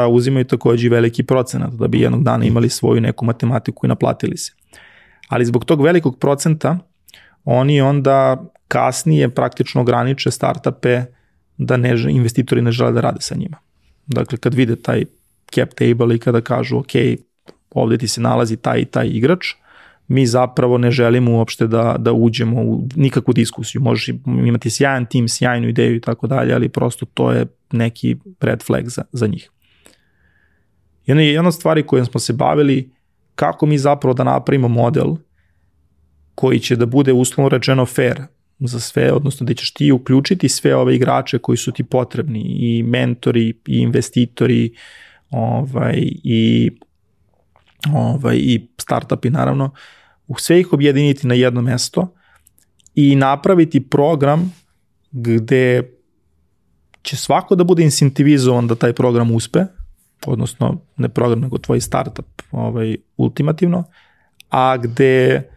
uzimaju takođe i veliki procenat da bi jednog dana imali svoju neku matematiku i naplatili se. Ali zbog tog velikog procenta oni onda kasnije praktično ograniče startupe da investitori ne žele da rade sa njima. Dakle, kad vide taj cap table i kada kažu ok, ovde ti se nalazi taj i taj igrač, mi zapravo ne želimo uopšte da uđemo u nikakvu diskusiju. Možeš imati sjajan tim, sjajnu ideju i tako dalje, ali prosto to je neki red flag za njih. I onda je jedna od stvari kojom smo se bavili, kako mi zapravo da napravimo model koji će da bude uslovno rečeno fair za sve, odnosno da ćeš ti uključiti sve ove igrače koji su ti potrebni, i mentori, i investitori, i startupi naravno, sve ih objediniti na jedno mesto i napraviti program gde će svako da bude incentivizovan da taj program uspe, odnosno ne program nego tvoj startup ultimativno, a gde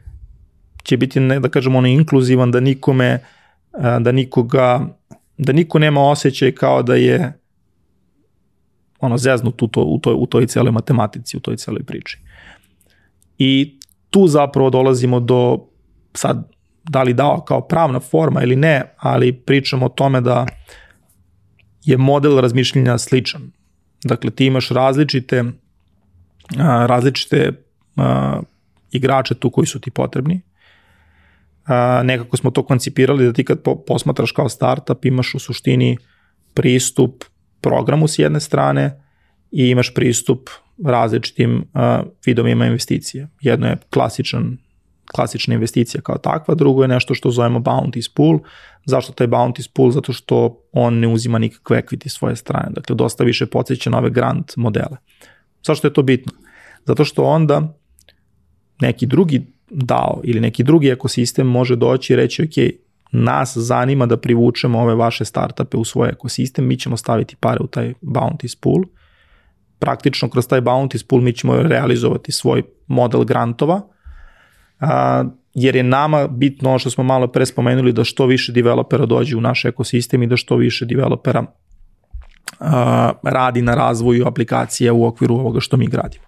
će biti, ne da kažemo, inkluzivan, da niko nema osjećaj kao da je zeznut u toj celoj matematici, u toj celoj priči. I tu zapravo dolazimo do, sad, da li dao kao pravna forma ili ne, ali pričamo o tome da je model razmišljenja sličan. Dakle, ti imaš različite igrače tu koji su ti potrebni. Nekako smo to koncipirali da ti kad posmatraš kao startup imaš u suštini pristup programu s jedne strane i imaš pristup različitim vidovima investicije. Jedno je klasična investicija kao takva, drugo je nešto što zovemo bounties pool. Zašto taj bounties pool? Zato što on ne uzima nikakve equity svoje strane. Dakle, dosta više podsjeća na ove grant modele. Zašto je to bitno? Zato što onda neki drugi DAO ili neki drugi ekosistem može doći i reći, ok, nas zanima da privučemo ove vaše startupe u svoj ekosistem, mi ćemo staviti pare u taj bounties pool. Praktično kroz taj bounties pool mi ćemo realizovati svoj model grantova, jer je nama bitno ono što smo malo pre spomenuli, da što više developera dođe u naš ekosistem i da što više developera radi na razvoju aplikacija u okviru ovoga što mi gradimo.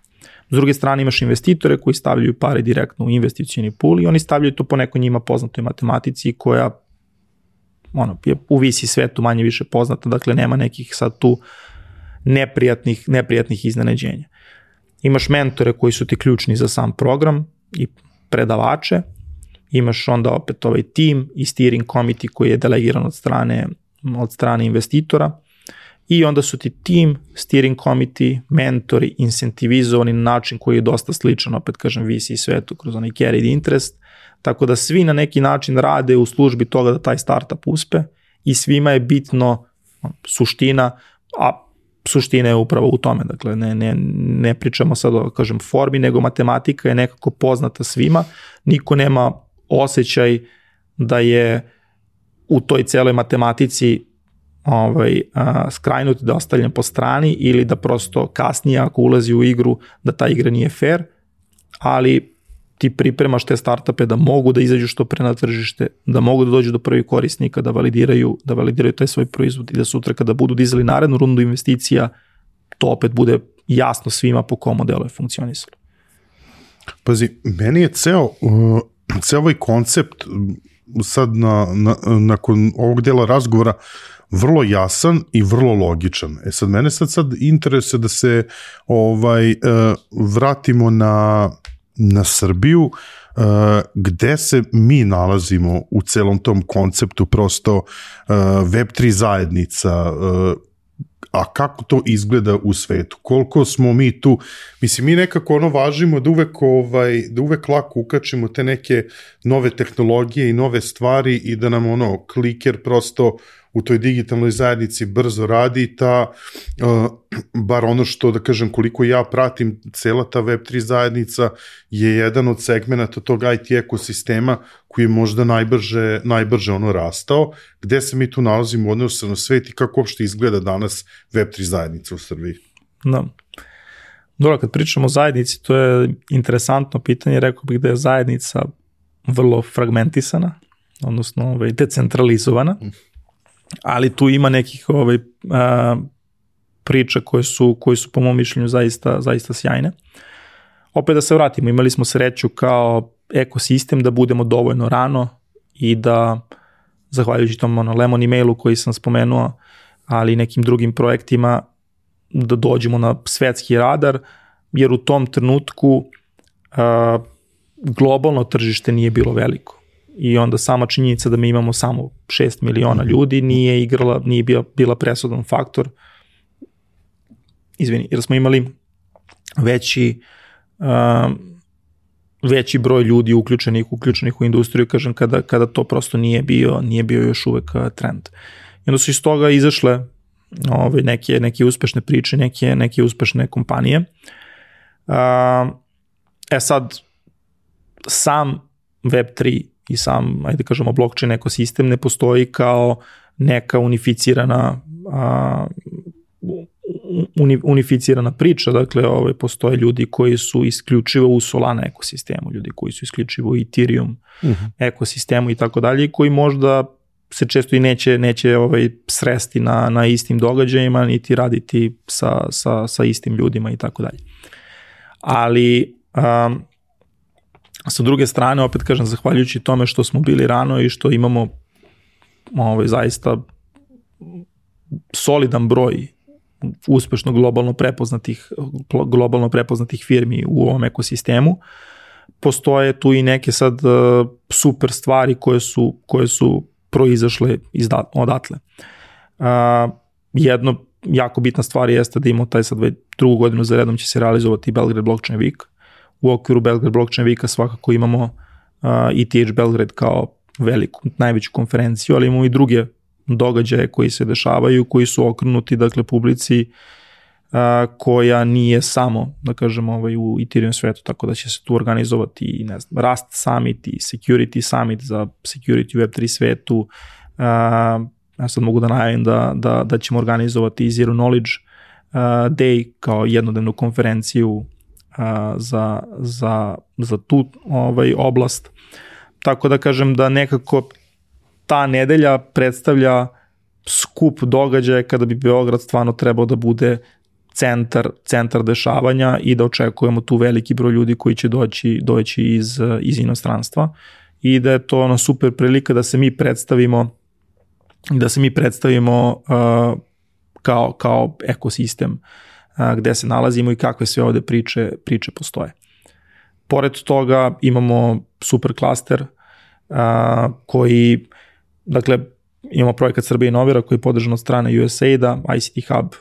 S druge strane imaš investitore koji stavljaju pare direktno u investicioni pool i oni stavljaju to po nekoj njima poznatoj matematici koja je u VC svetu manje više poznata, dakle nema nekih sad tu neprijatnih iznenađenja. Imaš mentore koji su ti ključni za sam program i predavače, imaš onda opet ovaj tim i steering committee koji je delegiran od strane investitora, i onda su ti tim, steering committee, mentori, incentivizovani na način koji je dosta sličan, opet kažem, VC svetu kroz onaj carried interest, tako da svi na neki način rade u službi toga da taj startup uspe i svima je bitno suština, a suština je upravo u tome, dakle ne pričamo sad o, kažem, formi, nego matematika je nekako poznata svima, niko nema osjećaj da je u toj celoj matematici skrajnut, da je ostavljen po strani ili da prosto kasnije ako ulazi u igru da ta igra nije fair, ali ti pripremaš te startupe da mogu da izađu što pre na tržište, da mogu da dođu do prvih korisnika, da validiraju taj svoj proizvod i da sutra kada budu dizali narednu rundu investicija, to opet bude jasno svima po kom modelu je funkcionisalo. Pazi, meni je ceo ovaj koncept sad nakon ovog dela razgovora vrlo jasan i vrlo logičan. Sad mene sad interesuje da se vratimo na Srbiju, gde se mi nalazimo u celom tom konceptu, prosto Web3 zajednica, a kako to izgleda u svetu, koliko smo mi tu, mislim, mi nekako važimo da uvek lako ukačimo te neke nove tehnologije i nove stvari i da nam kliker prosto u toj digitalnoj zajednici brzo radi, bar ono što, da kažem, koliko ja pratim, cela ta Web3 zajednica je jedan od segmenata tog IT ekosistema koji je možda najbrže rastao. Gde se mi tu nalazimo u odnosu na svet i kako uopšte izgleda danas Web3 zajednica u Srbiji? Da. Dobro, kad pričamo o zajednici, to je interesantno pitanje, rekao bih da je zajednica vrlo fragmentisana, odnosno decentralizovana, ali tu ima nekih priča koje su po mom mišljenju zaista sjajne. Opet da se vratimo, imali smo sreću kao ekosistem da budemo dovoljno rano i da, zahvaljujući tom Lemon emailu koji sam spomenuo, ali i nekim drugim projektima, da dođemo na svetski radar, jer u tom trenutku globalno tržište nije bilo veliko. I onda sama činjenica da mi imamo samo 6 miliona ljudi nije bila presudan faktor. Jer smo imali veći broj ljudi uključenih u industriju, kažem, kada to prosto nije bio još uvek trend. I onda su iz toga izašle neke uspešne priče, neke uspešne kompanije. Sad, sam Web3 i sam, ajde kažemo, blockchain ekosistem ne postoji kao neka unificirana priča, dakle postoje ljudi koji su isključivo u Solana ekosistemu, ljudi koji su isključivo u Ethereum ekosistemu i tako dalje, i koji možda se često i neće sresti na istim događajima, niti raditi sa istim ljudima i tako dalje. Ali sa druge strane, opet kažem, zahvaljujući tome što smo bili rano i što imamo zaista solidan broj uspešno globalno prepoznatih firmi u ovom ekosistemu, postoje tu i neke sad super stvari koje su proizašle odatle. Jedno jako bitna stvar jeste da imamo taj sad drugu godinu za redom će se realizovati Belgrade Blockchain Week. U okviru Belgrade Blockchain Weeka svakako imamo ETH Belgrade kao najveću konferenciju, ali imamo i druge događaje koji se dešavaju, koji su okrenuti, dakle, publici koja nije samo, da kažemo, u Ethereum svetu, tako da će se tu organizovati i, ne znam, Rust Summit i Security Summit za security u Web3 svetu. Ja sad mogu da najavim da ćemo organizovati i Zero Knowledge Day kao jednodnevnu konferenciju za tu oblast. Tako da kažem da nekako ta nedelja predstavlja skup događaja kada bi Beograd stvarno trebao da bude centar dešavanja i da očekujemo tu veliki broj ljudi koji će doći iz inostranstva i da je to super prilika da se mi predstavimo kao ekosistem gde se nalazimo i kakve sve ovde priče postoje. Pored toga imamo super klaster koji, dakle, imamo projekat Srbija inovira koji je podržan od strane USAID-a, ICT Hub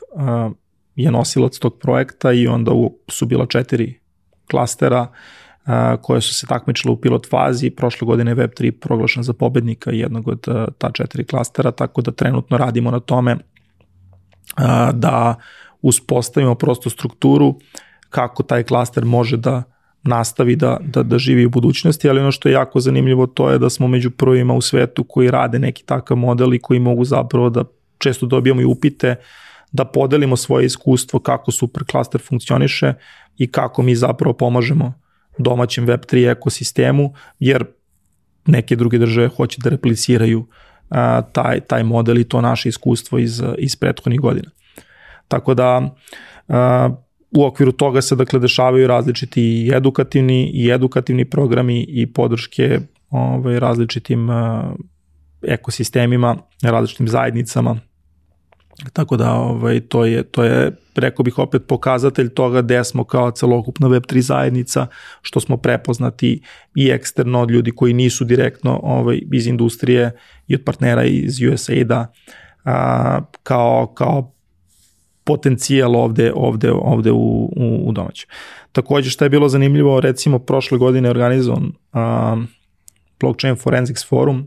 je nosilac tog projekta i onda su bila 4 klastera koje su se takmičile u pilot fazi. Prošle godine je Web3 proglašen za pobednika jednog od ta 4 klastera, tako da trenutno radimo na tome da uspostavimo prosto strukturu kako taj klaster može da nastavi da živi u budućnosti, ali ono što je jako zanimljivo to je da smo među prvima u svetu koji rade neki takav model i koji mogu zapravo da često dobijamo i upite da podelimo svoje iskustvo kako super klaster funkcioniše i kako mi zapravo pomažemo domaćem Web3 ekosistemu, jer neke druge države hoće da repliciraju taj model i to naše iskustvo iz prethodnih godina. Tako da u okviru toga se, dakle, dešavaju različiti i edukativni programi i podrške različitim ekosistemima, različitim zajednicama. Tako da to je, rekao bih opet, pokazatelj toga gde smo kao celokupna Web3 zajednica, što smo prepoznati i eksterno od ljudi koji nisu direktno iz industrije i od partnera iz USAID-a kao potencijal ovde u domaćem. Takođe, što je bilo zanimljivo, recimo prošle godine je organizovan Blockchain Forensics Forum.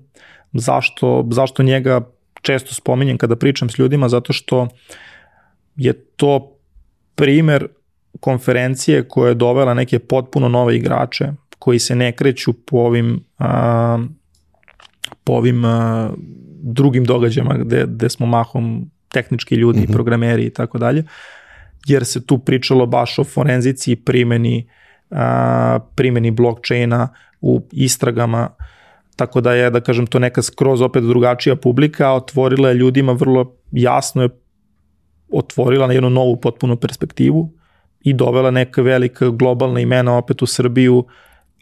Zašto njega često spominjem kada pričam s ljudima? Zato što je to primer konferencije koja je dovela neke potpuno nove igrače koji se ne kreću po ovim drugim događajima gde smo mahom tehnički ljudi, programeri i tako dalje, jer se tu pričalo baš o forenzici i primjeni blockchaina u istragama, tako da je, da kažem, to neka skroz opet drugačija publika, a otvorila je ljudima vrlo jasno, je otvorila na jednu novu potpunu perspektivu i dovela neka velika globalna imena opet u Srbiju,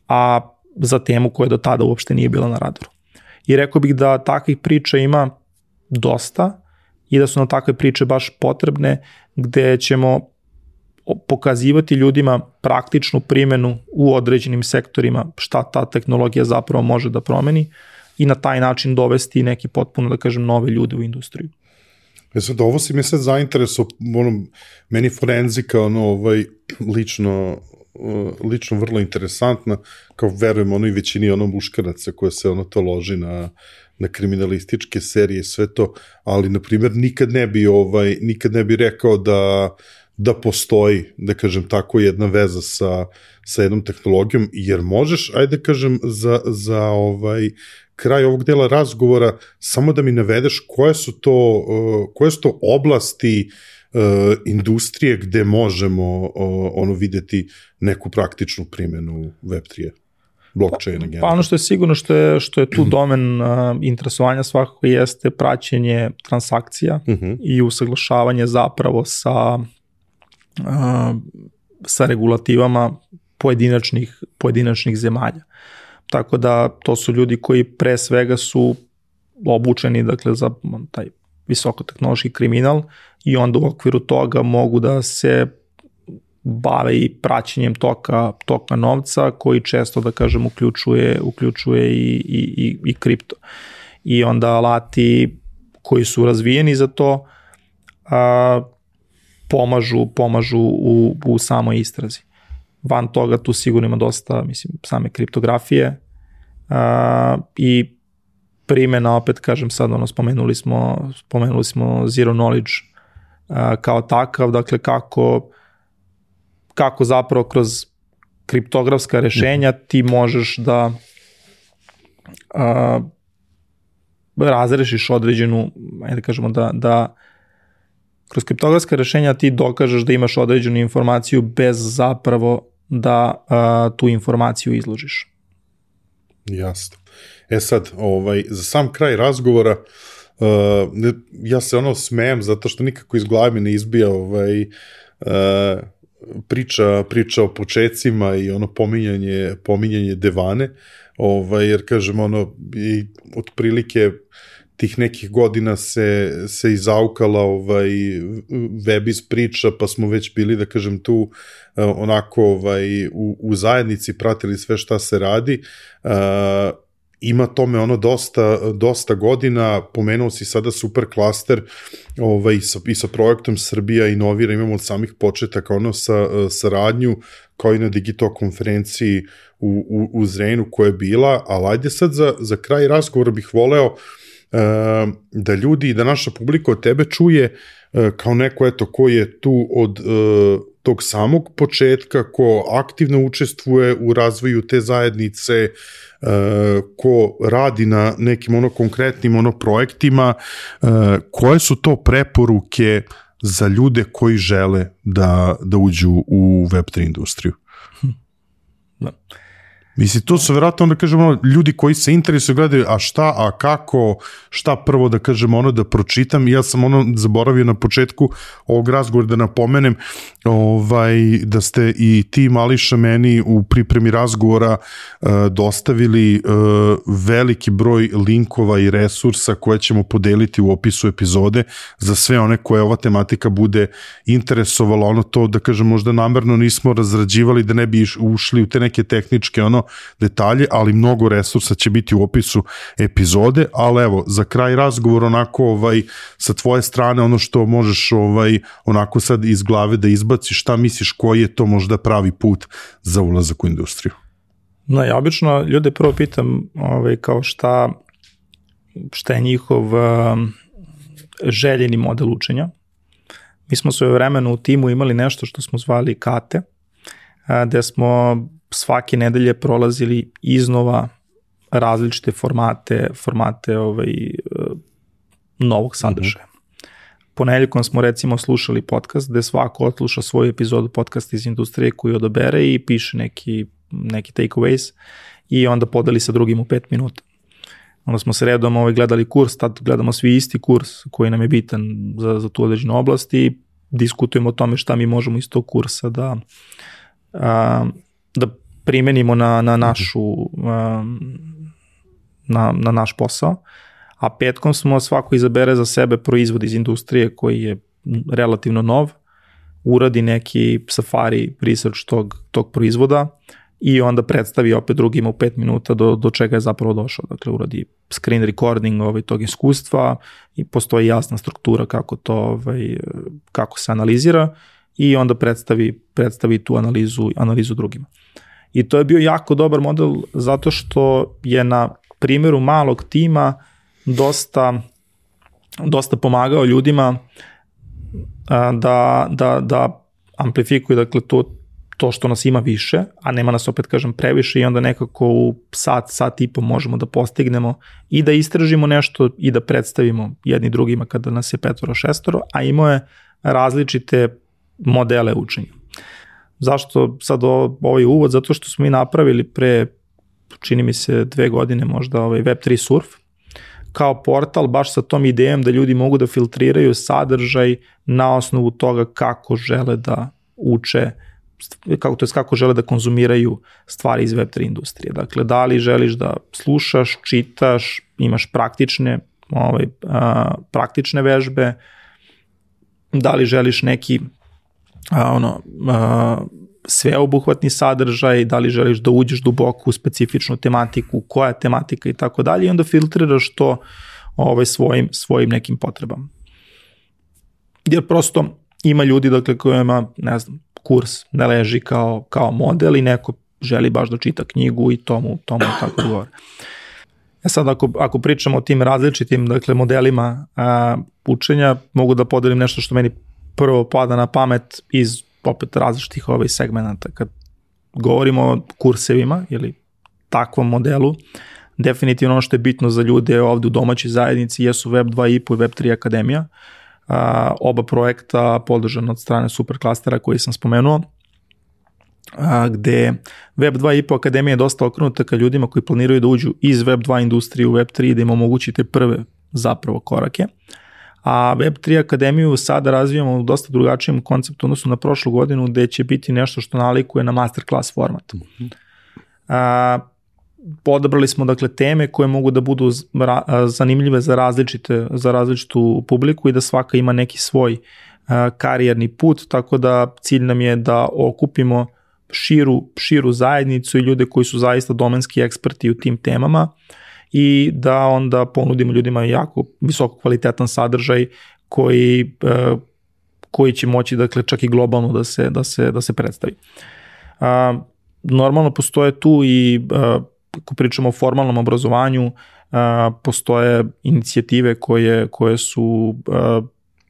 a za temu koja do tada uopšte nije bila na radaru. I rekao bih da takvih priča ima dosta i da su nam takve priče baš potrebne, gde ćemo pokazivati ljudima praktičnu primjenu u određenim sektorima, šta ta tehnologija zapravo može da promeni i na taj način dovesti neki potpuno, da kažem, nove ljude u industriju. Sad, ovo si mi sad zainteresao, meni forenzika, lično vrlo interesantna, kao verujem i većini muškaraca koje se to loži na kriminalističke serije i sve to, ali, na primjer, nikad ne bi rekao da postoji, da kažem tako, jedna veza sa jednom tehnologijom, jer možeš, ajde kažem, za kraj ovog dela razgovora, samo da mi navedeš koje su to oblasti industrije gde možemo videti neku praktičnu primjenu Web3, blockchaina. Pa ono što je sigurno što je tu domen interesovanja svakako jeste praćenje transakcija i usaglašavanje zapravo sa regulativama pojedinačnih zemalja. Tako da to su ljudi koji pre svega su obučeni, dakle, za taj visokotehnološki kriminal i onda u okviru toga mogu da se bave i praćenjem toka novca, koji često, da kažem, uključuje i kripto. I onda alati koji su razvijeni za to pomažu u samoj istrazi. Van toga tu sigurno ima dosta, mislim, same kriptografije i primjena, opet kažem sad, spomenuli smo zero knowledge kao takav, dakle kako zapravo kroz kriptografska rešenja ti možeš da razrešiš određenu, ajde kažemo da kroz kriptografska rešenja ti dokažeš da imaš određenu informaciju bez zapravo da tu informaciju izložiš. Jasno. Sad, za sam kraj razgovora, ja se smejem zato što nikako iz glave mi ne izbija priča o počecima i pominjanje Devane, jer kažem, i otprilike tih nekih godina se izaukala web iz priča, pa smo već bili, da kažem, tu onako u zajednici, pratili sve šta se radi. Ima tome dosta godina, pomenuo si sada super klaster i sa projektom Srbija inovira, imamo od samih početaka saradnju, kao i na Digital konferenciji u Zrenjaninu koja je bila, ali ajde sad za kraj razgovora bih voleo da ljudi i da naša publika od tebe čuje kao neko ko je tu od tog samog početka, ko aktivno učestvuje u razvoju te zajednice, ko radi na nekim konkretnim projektima, koje su to preporuke za ljude koji žele da uđu u Web3 industriju? Da. Mislim, to su vjerojatno, da kažemo, ljudi koji se interesuju, gledaju, a kako, šta prvo, da kažemo, da pročitam. Ja sam zaboravio na početku ovog razgovora da napomenem da ste i ti, Mališa, meni u pripremi razgovora dostavili veliki broj linkova i resursa koje ćemo podeliti u opisu epizode za sve one koje ova tematika bude interesovala. To, da kažem, možda namerno nismo razrađivali da ne bi ušli u te neke tehničke detalje, ali mnogo resursa će biti u opisu epizode, ali evo, za kraj razgovor onako sa tvoje strane, ono što možeš onako sad iz glave da izbaciš, šta misliš koji je to možda pravi put za ulazak u industriju? No, ja obično ljude prvo pitam kao šta je njihov željeni model učenja. Mi smo svoje vremeno u timu imali nešto što smo zvali kate, gde smo svake nedelje prolazili iznova različite formate novog sadržaja. Ponedeljkom smo recimo slušali podcast gde svako odsluša svoju epizodu podcasta iz industrije koju odabere i piše neki takeaways i onda podeli sa drugim u 5 minuta. Onda smo se redom gledali kurs, tad gledamo svi isti kurs koji nam je bitan za tu određenu oblast i diskutujemo o tome šta mi možemo iz tog kursa da primenimo na naš posao, a petkom smo svako izabere za sebe proizvod iz industrije koji je relativno nov uradi neki safari research tog proizvoda i onda predstavi opet drugima u 5 minuta do čega je zapravo došao. Dakle, uradi screen recording tog iskustva i postoji jasna struktura kako se analizira i onda predstavi tu analizu drugima. I to je bio jako dobar model zato što je na primjeru malog tima dosta pomagao ljudima da amplifikuju, dakle, to što nas ima više, a nema nas, opet kažem, previše i onda nekako u sat i po možemo da postignemo i da istražimo nešto i da predstavimo jedni drugima kada nas je 5-6, a imao je različite modele učenja. Zašto sad ovaj uvod? Zato što smo mi napravili pre, čini mi se 2 godine možda, Web3 surf, kao portal baš sa tom idejom da ljudi mogu da filtriraju sadržaj na osnovu toga kako žele da uče, kako žele da konzumiraju stvari iz Web3 industrije. Dakle, da li želiš da slušaš, čitaš, imaš praktične vežbe, da li želiš neki sveobuhvatni sadržaj, da li želiš da uđeš duboko u specifičnu tematiku, koja je tematika i tako dalje, i onda filtriraš to svojim nekim potrebama. Jer prosto ima ljudi, dakle, kojima, ne znam, kurs ne leži kao model i neko želi baš da čita knjigu i tomu tako govore. Sad, ako pričamo o tim različitim, dakle, modelima učenja, mogu da podelim nešto što meni prvo pada na pamet iz opet različitih segmenata. Kad govorimo o kursevima ili takvom modelu, definitivno ono što je bitno za ljude ovde u domaćoj zajednici jesu Web 2.5 i Web3 akademija. Oba projekta podržana od strane Superklastera koji sam spomenuo, gde Web 2.5 akademija je dosta okrenuta ka ljudima koji planiraju da uđu iz Web 2 industrije u Web 3, da im omogućite prve zapravo korake. A Web3 akademiju sada razvijamo u dosta drugačijem konceptu odnosno na prošlu godinu, gde će biti nešto što nalikuje na masterclass format. Odabrali smo, dakle, teme koje mogu da budu zanimljive za različitu publiku i da svaka ima neki svoj karijerni put, tako da cilj nam je da okupimo širu zajednicu i ljude koji su zaista domenski eksperti u tim temama i da onda ponudimo ljudima jako visoko kvalitetan sadržaj koji će moći, dakle, čak i globalno da se predstavi. Normalno postoje tu i, ako pričamo o formalnom obrazovanju, postoje inicijative koje su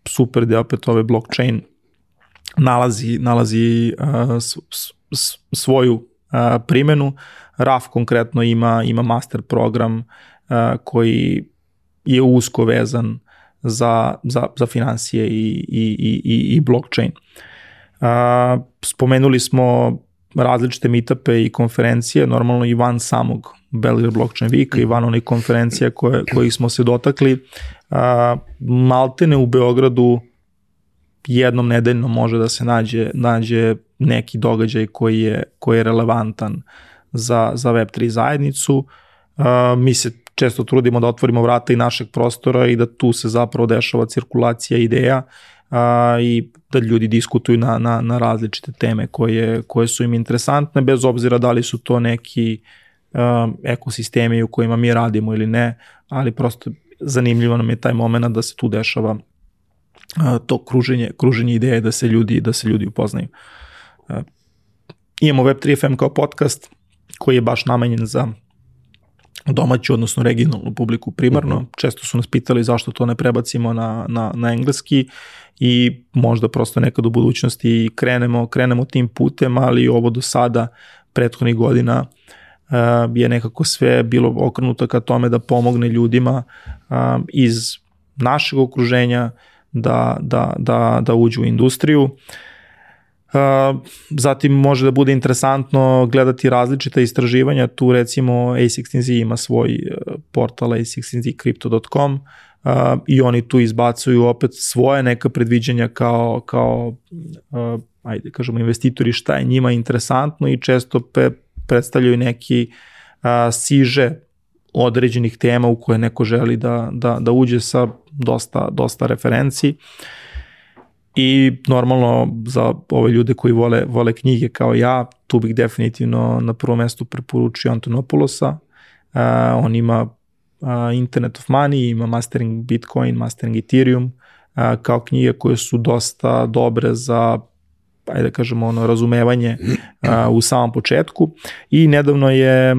super, da opet blockchain nalazi svoju primenu. RAF konkretno ima master program koji je usko vezan za finansije i blockchain. Spomenuli smo različite meetupe i konferencije, normalno i van samog Belgrade Blockchain Weeka i van onih konferencija kojih smo se dotakli. Maltene u Beogradu jednom nedeljno može da se nađe neki događaj koji je relevantan za Web3 zajednicu. Mi se često trudimo da otvorimo vrata i našeg prostora i da tu se zapravo dešava cirkulacija ideja i da ljudi diskutuju na različite teme koje su im interesantne, bez obzira da li su to neki ekosistemi u kojima mi radimo ili ne, ali prosto zanimljivo nam je taj moment da se tu dešava to kruženje ideje, da se ljudi upoznaju. Imamo Web3 FM kao podcast koji je baš namenjen za domaću, odnosno regionalnu publiku primarno. Često su nas pitali zašto to ne prebacimo na engleski i možda prosto nekad u budućnosti krenemo tim putem, ali ovo do sada prethodnih godina je nekako sve bilo okrenuto ka tome da pomogne ljudima iz našeg okruženja da uđu u industriju. Zatim može da bude interesantno gledati različita istraživanja, tu recimo A16Z ima svoj portal a16zcrypto.com i oni tu izbacuju opet svoje neka predviđanja kao ajde kažemo investitori šta je njima interesantno i često predstavljaju neki siže određenih tema u koje neko želi da uđe sa dosta referenci. I normalno za ove ljude koji vole knjige kao ja, tu bih definitivno na prvom mestu preporučio Antonopoulosa. On ima Internet of Money, ima Mastering Bitcoin, Mastering Ethereum, kao knjige koje su dosta dobre za, ajde da kažemo, razumevanje u samom početku. I nedavno je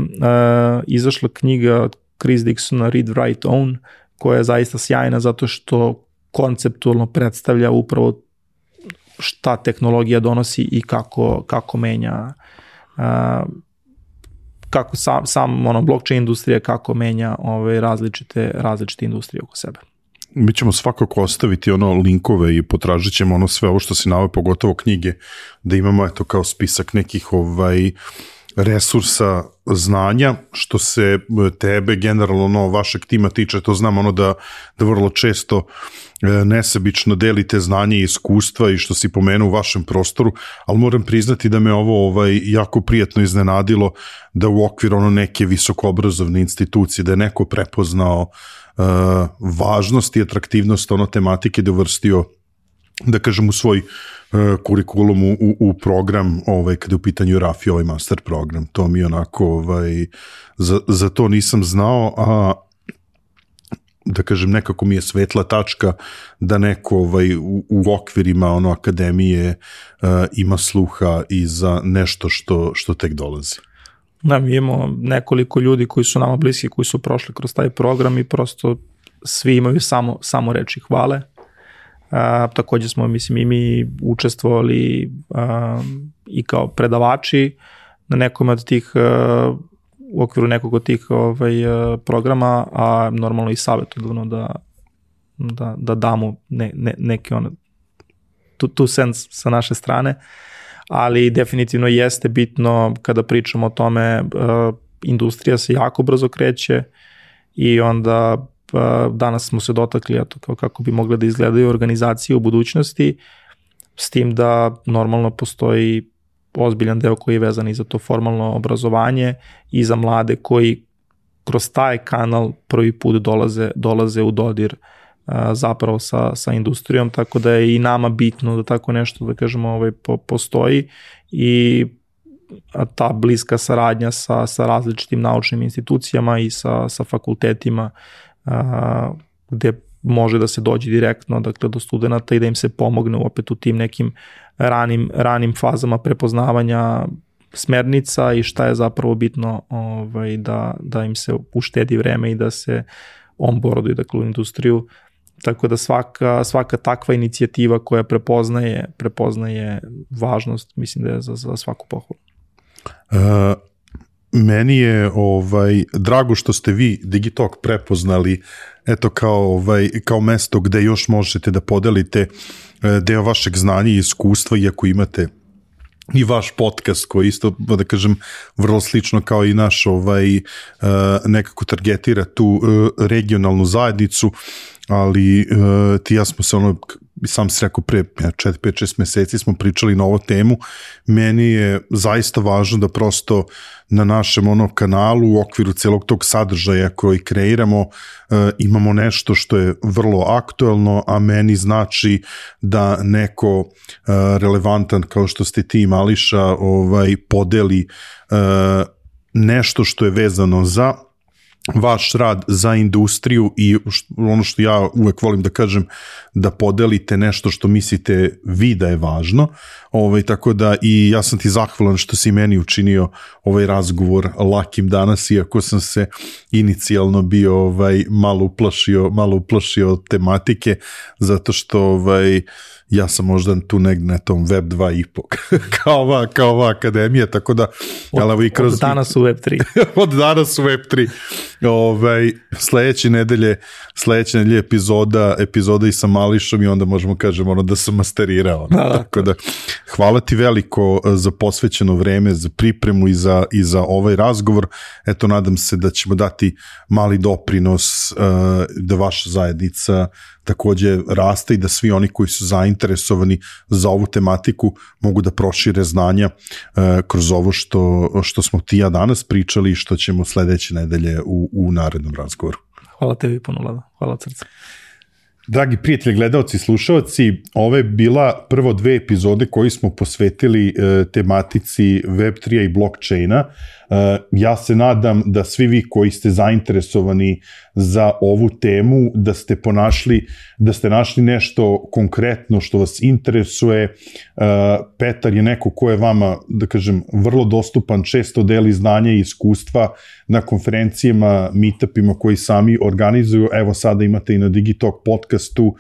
izašla knjiga Chris Dixona Read, Write, Own, koja je zaista sjajna zato što konceptualno predstavlja upravo šta tehnologija donosi i kako menja, kako sam blockchain industrija, kako menja različite industrije oko sebe. Mi ćemo svakako ostaviti linkove i potražit ćemo sve ovo što si naveo, pogotovo knjige, da imamo kao spisak nekih resursa znanja, što se tebe generalno vašeg tima tiče. To znam da vrlo često nesebično delite znanje i iskustva i što si pomenuo u vašem prostoru, ali moram priznati da me ovo jako prijatno iznenadilo, da u okviru neke visokoobrazovne institucije, da je neko prepoznao važnost i atraktivnost tematike, da je uvrstio, da kažem, u svoj kurikulum u program, kada je u pitanju RAFI, master program. To mi onako, za to nisam znao, a da kažem, nekako mi je svetla tačka da neko u okvirima akademije ima sluha i za nešto što tek dolazi. Da, mi imamo nekoliko ljudi koji su nama bliski, koji su prošli kroz taj program i prosto svi imaju samo reči hvale. Takođe smo, i mi učestvovali i kao predavači na nekom od tih, u okviru nekog od tih programa, a normalno i savjetodavno da damo neke two cents sa naše strane, ali definitivno jeste bitno kada pričamo o tome, industrija se jako brzo kreće i onda danas smo se dotakli kako bi mogle da izgledaju organizacije u budućnosti, s tim da normalno postoji ozbiljan deo koji je vezan i za to formalno obrazovanje i za mlade koji kroz taj kanal prvi put dolaze u dodir zapravo sa industrijom, tako da je i nama bitno da tako nešto, da kažemo, postoji i ta bliska saradnja sa različitim naučnim institucijama i sa fakultetima gde može da se dođe direktno, dakle, do studenta i da im se pomogne opet u tim nekim ranim fazama prepoznavanja smernica i šta je zapravo bitno da im se uštedi vreme i da se onboarduju, dakle, u industriju. Tako da svaka takva inicijativa koja prepoznaje važnost, mislim da je za svaku pohvalu. Meni je drago što ste vi Digitalk prepoznali kao mesto gde još možete da podelite deo vašeg znanja i iskustva, iako imate i vaš podcast koji isto, da kažem, vrlo slično kao i naš nekako targetira tu regionalnu zajednicu, ali ti ja smo se sam si rekao pre 4-5-6 meseci smo pričali na ovu temu. Meni je zaista važno da prosto na našem kanalu u okviru celog tog sadržaja koji kreiramo imamo nešto što je vrlo aktuelno, a meni znači da neko relevantan kao što ste ti, Mališa, podeli nešto što je vezano za vaš rad, za industriju i ono što ja uvek volim da kažem, da podelite nešto što mislite vi da je važno, tako da i ja sam ti zahvalan što si meni učinio ovaj razgovor lakim danas, iako sam se inicijalno bio malo uplašio od tematike, zato što ja sam možda tu negde na tom Web 2.5 kao ova akademija, tako da od danas u Web 3 od danas u Web 3 sledeće nedelje epizoda i sa Mališom i onda možemo kažemo da sam masterirao. Tako da hvala ti veliko za posvećeno vreme, za pripremu i za ovaj razgovor. Eto, nadam se da ćemo dati mali doprinos da vaša zajednica takođe raste i da svi oni koji su zainteresovani za ovu tematiku mogu da prošire znanja kroz ovo što smo ti ja danas pričali i što ćemo sledeće nedelje u narednom razgovoru. Hvala tebi puno, Lada. Hvala od srca. Dragi prijatelji, gledalci i slušalci, ovo je bila prvo 2 epizode koji smo posvetili tematici Web3 i blockchaina. Ja se nadam da svi vi koji ste zainteresovani za ovu temu, da ste našli nešto konkretno što vas interesuje. Petar je neko ko je vama, da kažem, vrlo dostupan, često deli znanje i iskustva na konferencijama, meetupima koji sami organizuju. Evo sada imate i na Digitalk podcastu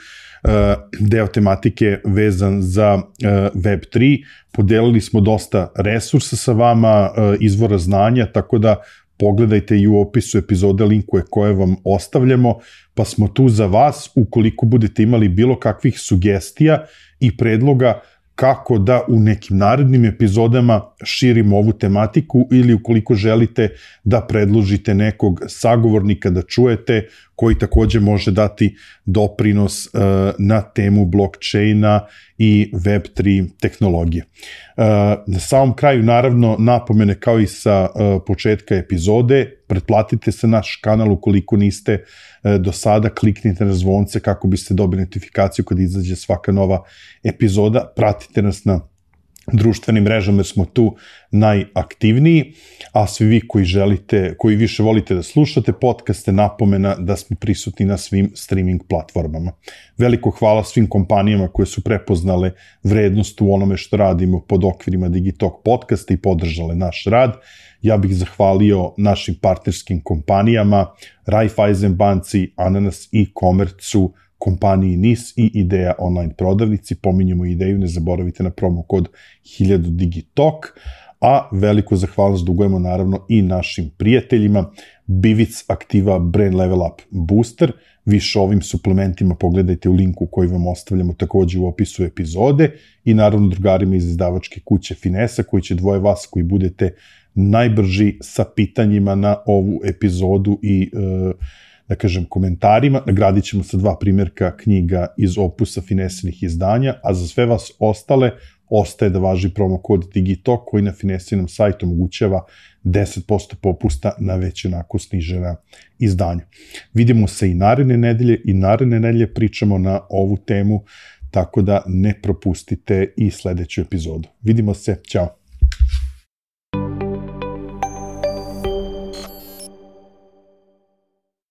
deo tematike vezan za Web3. Podelili smo dosta resursa sa vama, izvora znanja, tako da pogledajte i u opisu epizode linkove koje vam ostavljamo, pa smo tu za vas ukoliko budete imali bilo kakvih sugestija i predloga kako da u nekim narednim epizodama širimo ovu tematiku ili ukoliko želite da predložite nekog sagovornika da čujete koji takođe može dati doprinos na temu blockchaina i Web3 tehnologije. Na samom kraju, naravno, napomene kao i sa početka epizode, pretplatite se naš kanal ukoliko niste do sada, kliknite na zvonce kako biste dobili notifikaciju kad izađe svaka nova epizoda, pratite nas na društvenim mrežama jer smo tu najaktivniji, a svi vi koji više volite da slušate podcaste, napomena da smo prisutni na svim streaming platformama. Veliko hvala svim kompanijama koje su prepoznale vrednost u onome što radimo pod okvirima Digitalk podcasta i podržale naš rad. Ja bih zahvalio našim partnerskim kompanijama, Raiffeisen banci, Ananas e-commerce-u, kompaniji NIS i Ideja online prodavnici. Pominjemo Ideju, ne zaboravite na promo kod 1000 Digitalk, a veliku zahvalnost dugujemo naravno i našim prijateljima Bivic Aktiva Brain Level Up Booster. Više o ovim suplementima pogledajte u linku koji vam ostavljamo takođe u opisu epizode i naravno drugarima iz izdavačke kuće Finesa koji će dvoje vas koji budete najbrži sa pitanjima na ovu epizodu i da kažem komentarima. Nagradit ćemo sa 2 primjerka knjiga iz opusa Finesinih izdanja, a za sve vas ostale ostaje da važi promo kod Digitalk koji na Finesinom sajtu omogućava 10% popusta na već onako snižena izdanja. Vidimo se i naredne nedelje pričamo na ovu temu, tako da ne propustite i sledeću epizodu. Vidimo se, ćao!